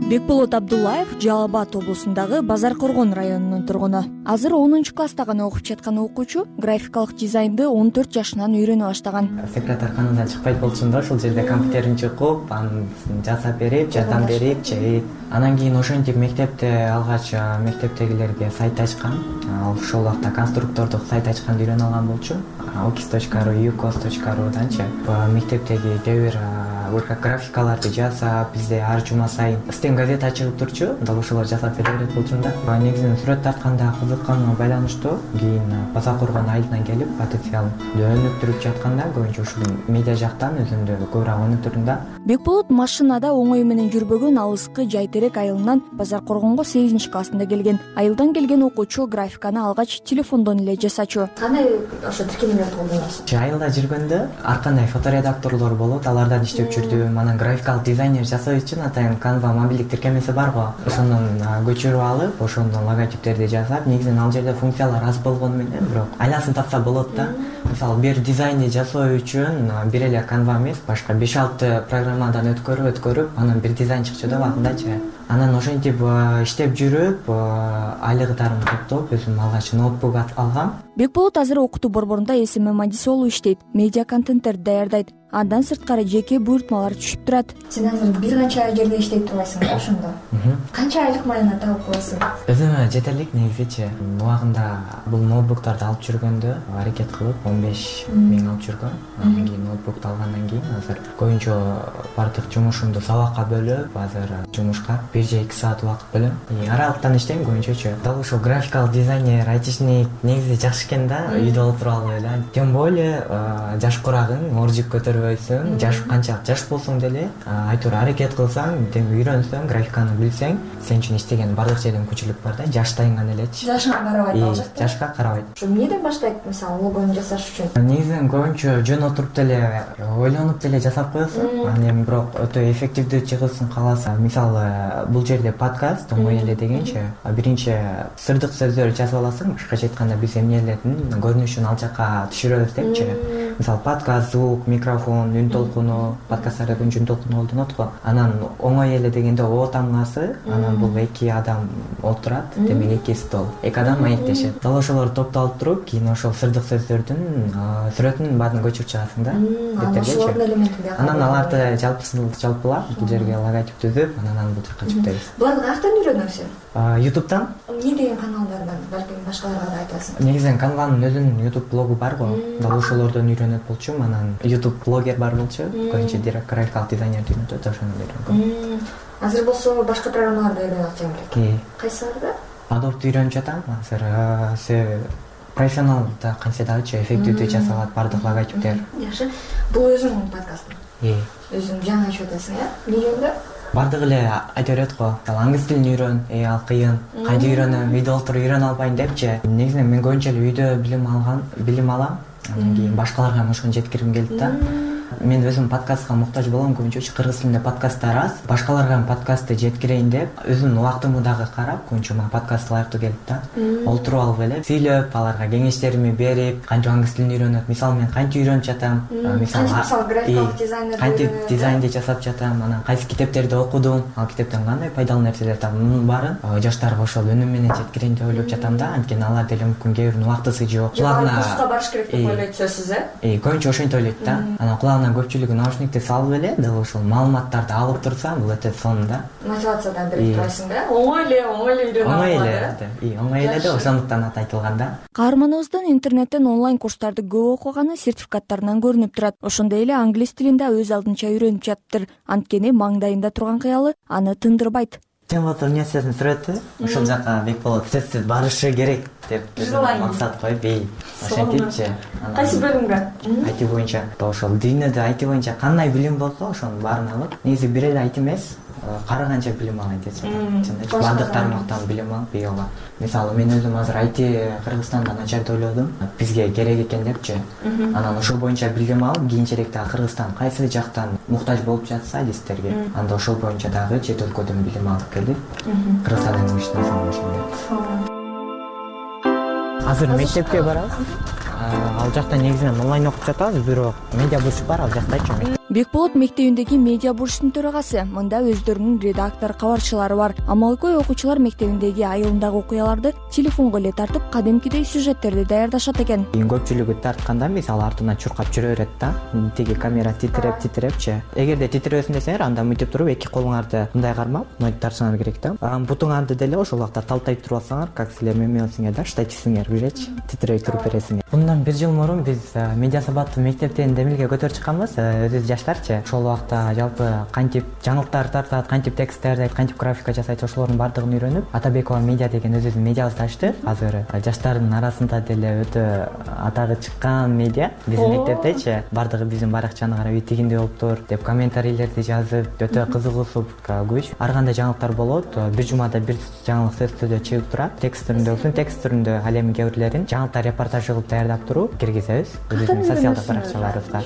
Бекболот Абдуллаев Жалал Абад облусундагы Базар Коргон районунун тургуну. Азыр 10-класста гана окуп жаткан окуучу графикалык дизайнды 14 жашынан үйрөнө баштаган. Секретарь каналдан чыкпайт болчумун да, ошол жерде компьютерин чукуп, аны жасап берип, жардам берип, чейт. Анан кийин ошентип мектепте алгач мектептегилерге сайт ачкан. Ошол убакта конструктордук сайт ачканды үйрөнүп алган болчу. Okis.ru, ukos.ru'данчы мектептеги кээ бир графикаларды жасап, бизде ар жума сайын стен газета чыгып турчу. Дал ошолор жасап бере берет болчумун да. Негизинен сүрөт тартканда кызыкканыма байланыштуу. Кийин Базар Коргон айылынан келип, потенциал өнүктүрүп жатканда көбүнчө ушул медиа жактан өзүмдү көбүрөөк өнүктүрдүм да. Бекболот машинада оңой менен жүрбөгөн алыскы Жайтерек айылынан Базар Коргонго 8-классында келген. Айылдан келген окуучу графиканы алгач телефондон эле жасачу. Кандай ошо тиркемелерди колдоносуз? Айылда жүргөндө ар кандай фоторедакторлор болот, алардан иштеп жүрдүм. Анан графикалык дизайнер жасоо үчүн атайын Canva мобилдик тиркемеси бар го. Ошондон көчүрүп алып, ошондон логотиптерди жасап, негизинен ал жерде функциялар аз болгону менен, бирок айласын тапса болот да. Мисалы, бир дизайнди жасоо үчүн бир эле Canva эмес, башка 5-6 программадан өткөрүп, анан бир дизайн чыкчу да убагындачы. Анан ошентип иштеп жүрүп, айлыктарымды топтоп, өзүм алгач ноутбук алгам. Бекболот азыр окутуу борборунда СМ адиси болуп иштейт, медиа контенттерди даярдайт. Андан сырткары жеке буйртмалар түшүп турат. Сен азыр бир канча жерде иштеп турбайсың да ошондо? Канча айлык майына табып коесуң? Өзүмө жетерлик негизичи. Убагында бул ноутбуктарды алып жүргөндө аракет кылып 15 миң алып жүргөм. Анан кийин ноутбукту алгандан кийин азыр көбүнчө бардык жумушумду сабакка бөлүп, азыр жумушка 1 же 2 саат убакыт бөлөм. Аралыктан иштейм көбүнчөчү. Дал ошол графикалык дизайнер, айтишник негизи жакшы экен да, үйдө отуруп алып эле. Тем более жаш курагың, оржик көтөрбөйсүң, жаш канчалык жаш болсоң деле, айтор аракет кылсаң, үйрөнсөң, графиканы билсең, сен үчүн иштеген бардык жерден мүмкүнчүлүк бар да, жаштайың гана элечи. Жашыңа карабайт ал жакта. Жашка карабайт. Ошо эмнеден баштайт, мисалы, логону жасаш үчүн? Негизинен көбүнчө жөн отуруп деле, ойлонуп деле жасап коесуң. Анан эми бирок өтө эффективдүү чыгысын кааласаң, мисалы, бул жерде подкаст оңой эле дегенчи, биринчи сырдык сөздөр жазып аласың, башкача айтканда биз эмнелердин көрүнүшүн ал жака түшүрөбүз депчи. Мисалы, подкаст, звук, микрофон, үн толкуну, подкасттарда үн толкуну колдонот го. Анан оңой эле дегенде о тамгасы, анан бул 2 адам отурат, демек 2 стол. 2 адам маектешет. Дал ошолорду топтолуп туруп, кийин ошол сырдык сөздөрдүн сүрөтүн баарын көчүрүп чыгасың да. Ошолордун элементин анан аларды жалпылап, бул жерге логотип түзүп, анан бул жака жүктөйбүз. Буларды каяктан үйрөнөсүң? YouTube'дан. Эмне деген каналдардан, балким башкаларга да айтасың? Негизинен Canva'нын өзүнүн YouTube блогу бар го. Дал ошолордон үйрөнөт болчумун. Анан YouTube блогер бар болчу. Көбүнчө графикалык дизайнерди үйрөнөт, ошону үйрөнгөм. Азыр болсо башка программаларды үйрөнүп атсаң керек. Кайсыларды? Adobe'ду үйрөнүп жатам. Азыр профессионал да канча дагычы эффективдүү жасалат бардык логотиптер. Жакшы. Бул өзүңдүн подкастың? Өзүң жаңы айтып атасың, эмне жөнүндө? Бардык эле айта берет го. Англис тилин үйрөн, ал кыйын. Кантип үйрөнөм, үйдө отуруп үйрөнө албайм депчи. Негизинен мен көбүнчө эле үйдө билим алам. Анан кийин башкаларга ошону жеткиргим келди да. Мен өзүм подкастка муктаж болом, көбүнчө кыргыз тилинде подкасттар аз. Башкаларга подкастты жеткирейин деп, өзүмдүн убактымды дагы карап, көбүнчө мага подкаст ылайыктуу келди да. Олтуруп алып эле сүйлөп, аларга кеңештеримди берип, кантип англис тилин үйрөнөт. Мисалы, мен кантип үйрөнүп жатам, кантип дизайнди жасап жатам, анан кайсы китептерди окудум, ал китептен кандай пайдалуу нерселер таптым, мунун баарын жаштарга ошол өнүм менен жеткирейин деп ойлоп жатам да. Анткени алар деле мүмкүн кээ биринин убактысы жок. Курска барыш керек деп ойлойт сөзсүз, көбүнчө ошентип ойлойт да. Анан кулагына көпчүлүгү наушникти салып эле, дал ошол маалыматтарды алып турсам, бул өтө сонун да. Мотивациядан берип турасың да. Оңой эле үйрөнө алат. Оңой эле да, ошондуктан аты айтылган да. Каарманыбыздын интернеттен онлайн курстарды көп окуганы сертификаттарынан көрүнүп турат. Ошондой эле англис тилин да өз алдынча үйрөнүп жатыптыр. Анткени маңдайында турган кыялы аны тындырбайт. Тембат университетинин сүрөтү ошол жака Бекболот сөзсүз барышы керек деп максат коюп, ошентипчи. Кайсы бөлүмгө? IT боюнча. Ошол дүйнөдө IT боюнча кандай билим болсо, ошонун баарын алып, негизи бир эле IT эмес, карыганча билим алайын деп жатам. Бардык тармактан билим алып, бийога. Мисалы, мен өзүм азыр IT Кыргызстанда начар деп ойлодум, бизге керек экен депчи. Анан ошол боюнча билим алып, кийинчерээкте Кыргызстан кайсы жактан муктаж болуп жатса адистерге, анда ошол боюнча дагы чет өлкөдөн билим алып келип, Кыргызстандын ишине салышым. Азыр мектепке барабыз. Ал жакта негизинен онлайн окуп жатабыз, бирок медиа бурч бар ал жактачы. Бекболот мектебиндеги медиа бурчтун төрагасы. Мында өздөрүнүн редактор, кабарчылары бар. Амалкой окуучулар мектебиндеги айылындагы окуяларды телефонго эле тартып, кадимкидей сюжеттерди даярдашат экен. Көпчүлүгү тартканда мисалы артынан чуркап жүрө берет да. Тиги камера титирепчи. Эгерде титиребесин десеңер, анда мынтип туруп эки колуңарды мындай кармап, мынтип тартсаңар керек да. Бутуңарды деле ошол убакта талтай туруп алсаңар, как силер мемесиңер да, штативсиңер, билечи, титирей туруп бересиңер. Bundan 1 жыл мурун биз медиа сабаттуу мектептен демилге көтөрүп чыкканбыз. Өзүбүз жаштарчы. Ошол убакта жалпы кантип жаңылыктар тартат, кантип текст даярдайт, кантип графика жасайт, ошолордун бардыгын үйрөнүп, Атабекова медиа деген өзүбүздүн медиабызды ачты. Азыр жаштардын арасында деле өтө атагы чыккан медиа биздин мектептечи. Бардыгы биздин баракчаны карап тигиндей болуптур деп комментарийлерди жазып, өтө кызыгуусуп көч. Ар кандай жаңылыктар болот. Бир жумада бир жаңылык сөзсүздө чыгып турат. Текст түрүндө ал эми кээ бирлерин жаңылыктар репортаж кылып даярдап туруп киргизебиз өзүбүздүн социалдык баракчаларыбызга.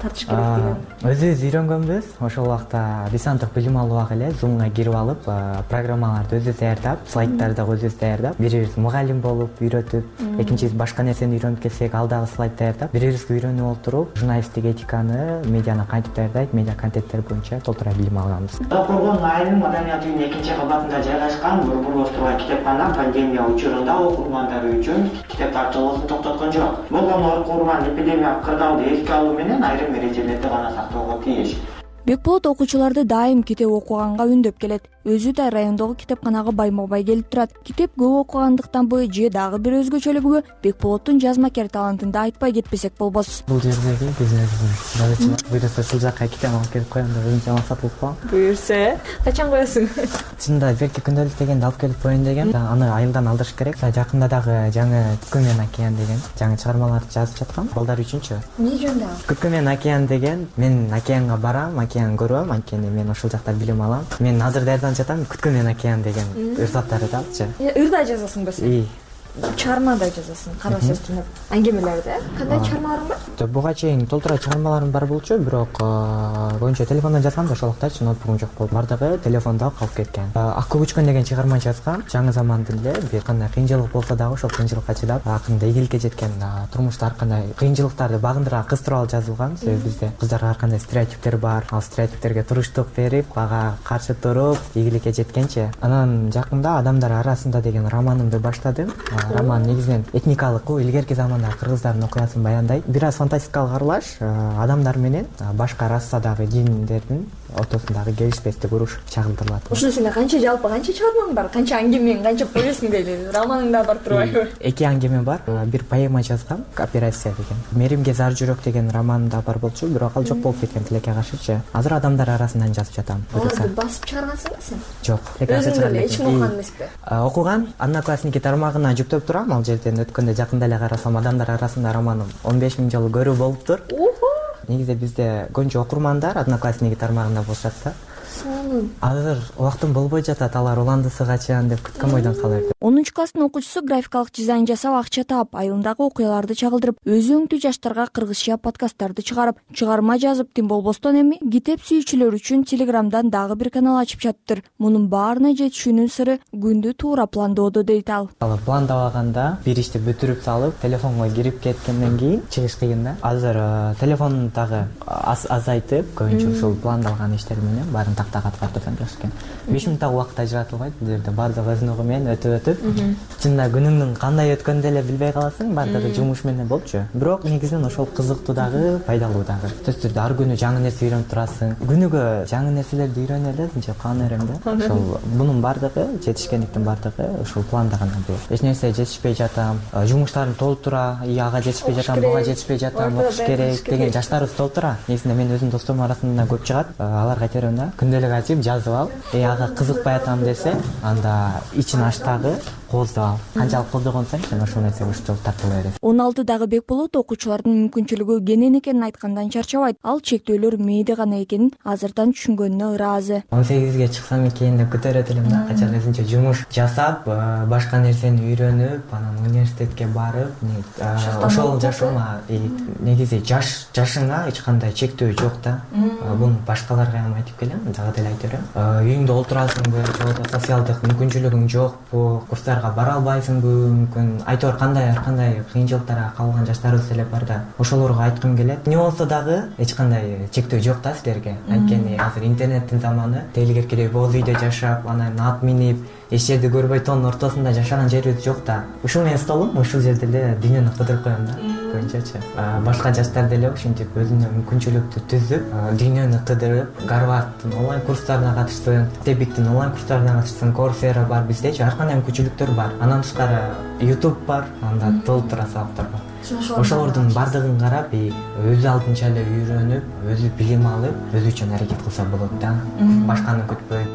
Тартыш керек деген. Өзүбүз үйрөнгөнбүз. Ошол убакта десанттык билим алууга эле Zoom'га кирип алып, программаларды өзүбүз даярдап, слайдтарды өзүбүз даярдап, бирибиз мугалим болуп үйрөтүп, экинчиси башка нерсени үйрөнүп келсек, ал дагы слайд даярдап, бирибизге үйрөнүп отуруп, журналисттик этиканы, медианы кантип даярдайт, медиа контенттер боюнча толтура билим алганбыз. Коргон айылынын маданият үйүнүн 2-кабатында жайгашкан Борборлош турган китепкана пандемия учурунда окурмандары үчүн китеп тартуулуусун токтоткон жок. Болгон окурман эпидемиялык кырдаалды эске алуу менен айрым эрежелерди гана сактоого тийиш. Бекболот окуучуларды дайым китеп окуганга үндөп келет. Өзү да райондогу китепканага байма-бай келип турат. Китеп көп окугандыктанбы же дагы бир өзгөчөлүгүбү Бекболоттун жазмакер талантында айтпай кетпесек болбос. Бул жердеги бизнесин жазуучулар буйрса ушул жакка китеп алып келип коем деп өзүнчө алып сатылып калган. Буйрса, качан коесуң? Чынында берки күндөлүк дегенди алып келип коеюн деген. Аны айылдан алдырыш керек. Жакында дагы жаңы Күткү менен океан деген жаңы чыгармаларды жазып жаткам. Балдар үчүнчү. Эмне жөнүндө? Күткү менен океан деген. Мен океанга барам, океан көрөм, анткени мен ошол жакта билим алам. Мен азыр даярданып жатам Күткү менен океан деген ырзаттарды алчы. Ырда жазасың ба сен? Чыгармада жазасың, кара сөз түнөп. Аңгемелерди. Кандай чыгармаларың бар? Буга чейин толтура чыгармаларым бар болчу, бирок көбүнчө телефондон жазгам да, ошол убактачы ноутбугум жок болуп, бардыгы телефондо калып кеткен. Ак көк учкөн деген чыгарма жазгам. Жаңы замандын эле бир кандай кыйынчылык болсо дагы ошол кыйынчылыкка чыдап, акырында ийгиликке жеткен турмушта ар кандай кыйынчылыктарды багындыра кыз тууралуу жазылган. Себеби бизде кыздарга ар кандай стереотиптер бар. Ал стереотиптерге туруштук берип, ага каршы туруп, ийгиликке жеткенчи. Анан жакында Адамдар арасында деген романымды баштадым. Роман негизинен этникалык, илгерки замандагы кыргыздардын окуясын баяндайт. Бир аз фантастикалык аралаш адамдар менен башка расадагы жиндердин ортосундагы келишпестик уруш чагылдырылат. Ушуну сенде жалпы канча чыгармаң бар? Канча аңгемең, канча повестиң дейли? Романың да бар турбайбы? 2 аңгеме бар. Бир поэма жазгам, Операция деген. Меримге зар жүрөк деген романым да бар болчу, бирок ал жок болуп кеткен тилекке каршычы. Азыр Адамдар арасынан жазып жатам. Аларды басып чыгаргансыңбы сен? Жок. Өзүң эле эч ким окуган эмеспи? Окуган, Одноклассники тармагына жүктөп турам. Ал жерден өткөндө жакында эле карасам Адамдар арасында романым 15 000 жолу көрүү болуптур. Негизи бизде көбүнчө окурмандар Одноклассники тармагында болушат да. Азыр убактым болбой жатат, алар уландысы качан деп күткөн бойдон кала берди. 10-класстын окуучусу графикалык дизайн жасап акча таап, айылындагы окуяларды чагылдырып, өзү өңдүү жаштарга кыргызча подкасттарды чыгарып, чыгарма жазып, тим болбостон эми китеп сүйүүчүлөр үчүн Телеграмдан дагы бир канал ачып жатыптыр. Мунун баарына жетишүүнүн сыры күндү туура пландоодо дейт ал. Пландабаганда бир ишти бүтүрүп салып, телефонго кирип кеткенден кийин чыгыш кыйын да. Азыр телефон дагы азайтып, көбүнчө ушул пландалган иштер менен баарын тактага катып жаш экен. 5 мүнөттөгү убакыт ажыратылбайт. Бул жерде бардыгы өз менен өтүп, чынында күнүңдүн кандай өткөнүн деле билбей каласың, бардыгы жумуш менен болчу. Бирок негизинен ошол кызыктуу дагы, пайдалуу дагы. Сөзсүз түрдө ар күнү жаңы нерсе үйрөнүп турасың. Күнүгө жаңы нерселерди үйрөнө элесиң, же каан эрем да. Ошол мунун бардыгы, жетишкендиктин бардыгы ушул планда гана бир. Эч нерсе жетишпей жатам, жумуштарым толтура, ага жетишпей жатам, буга жетишпей жатам, окуш керек деген жаштарыбыз толтура. Негизинде мен өзүмдүн досторумдун арасында көп чыгат. Аларга айтырмын да, күндөлүк ачып жазып ал, ага кызыкпай атам десе, анда ичин ачтагы кооздоп ал. Канчалык кооздогонсоң, сен ошол нерсеге ушул тартыла бересиң. 16-дагы Бекболот окуучулардын мүмкүнчүлүгү кенен экенин айткандан чарчабайт. Ал чектөөлөр мээде гана экенин азырдан түшүнгөнүнө ыраазы. 18ге чыксам экен деп күтөрөт элем да, качан өзүнчө жумуш жасап, башка нерсени үйрөнүп, анан университетке барып, ошол жашоома негизи жашыңа эч кандай чектөө жок да. Буну башкаларга ham айтып келем. дагы деле айта берем. Үйүңдө олтурасыңбы же болбосо социалдык мүмкүнчүлүгүң жокпу, курстарга бара албайсыңбы, мүмкүн ар кандай кыйынчылыктарга калган жаштарыбыз деле бар да. Ошолорго айткым келет. Не болсо дагы эч кандай чектөө жок да силерге. Анткени азыр интернеттин заманы, тейлигеркидей боз үйдө жашап, анан ат минип, эч жерди көрбөй тоонун ортосунда жашаган жерибиз жок да. Ушул менин столум ушул жерде эле дүйнөнү кыдырып коем да. Көбүнчөчү башка жаштар деле ушинтип өзүнө мүмкүнчүлүктү түзүп, дүйнөнү кыдырып, Гарвардтын онлайн курстарына катышсын, Тебиктин онлайн курстарына катышсын, Coursera бар, биздечи ар кандай мүмкүнчүлүктөр бар. Андан тышкары YouTube бар, анда толтура сабактар бар. Ошолордун бардыгын карап, өзү алдынча эле үйрөнүп, өзү билим алып, өзү үчүн аракет кылса болот да. Башканы күтпөй.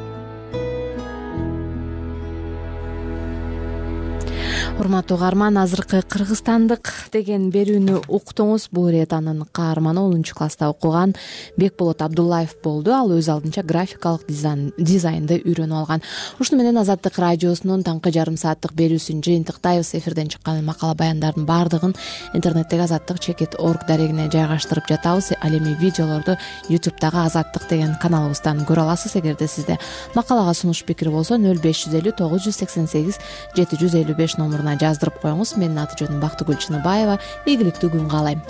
Урматтуу угарман, азыркы Кыргызстандык деген берүүнү уктуңуз. Бул ирет анын каарманы 10 класста окуган Бекболот Абдуллаев болду. Ал өз алдынча графикалык дизайнды үйрөнүп алган. Ушуну менен Азаттык радиосунун таңкы жарым сааттык берүүсүн жыйынтыктайбыз. Эфирден чыккан макала баяндардын баардыгын интернеттеги azattik.org дарегине жайгаштырып жатабыз. Ал эми видеолорду YouTube'дагы Азаттык деген каналыбыздан көрө аласыз. Эгерде сизде макалага сунуш пикир болсо 0550 988 755 номуруна жаздырып коюңуз. Менин аты жөнүм Бактыгүл Чыныбаева. Ийгиликтүү күн каалайм.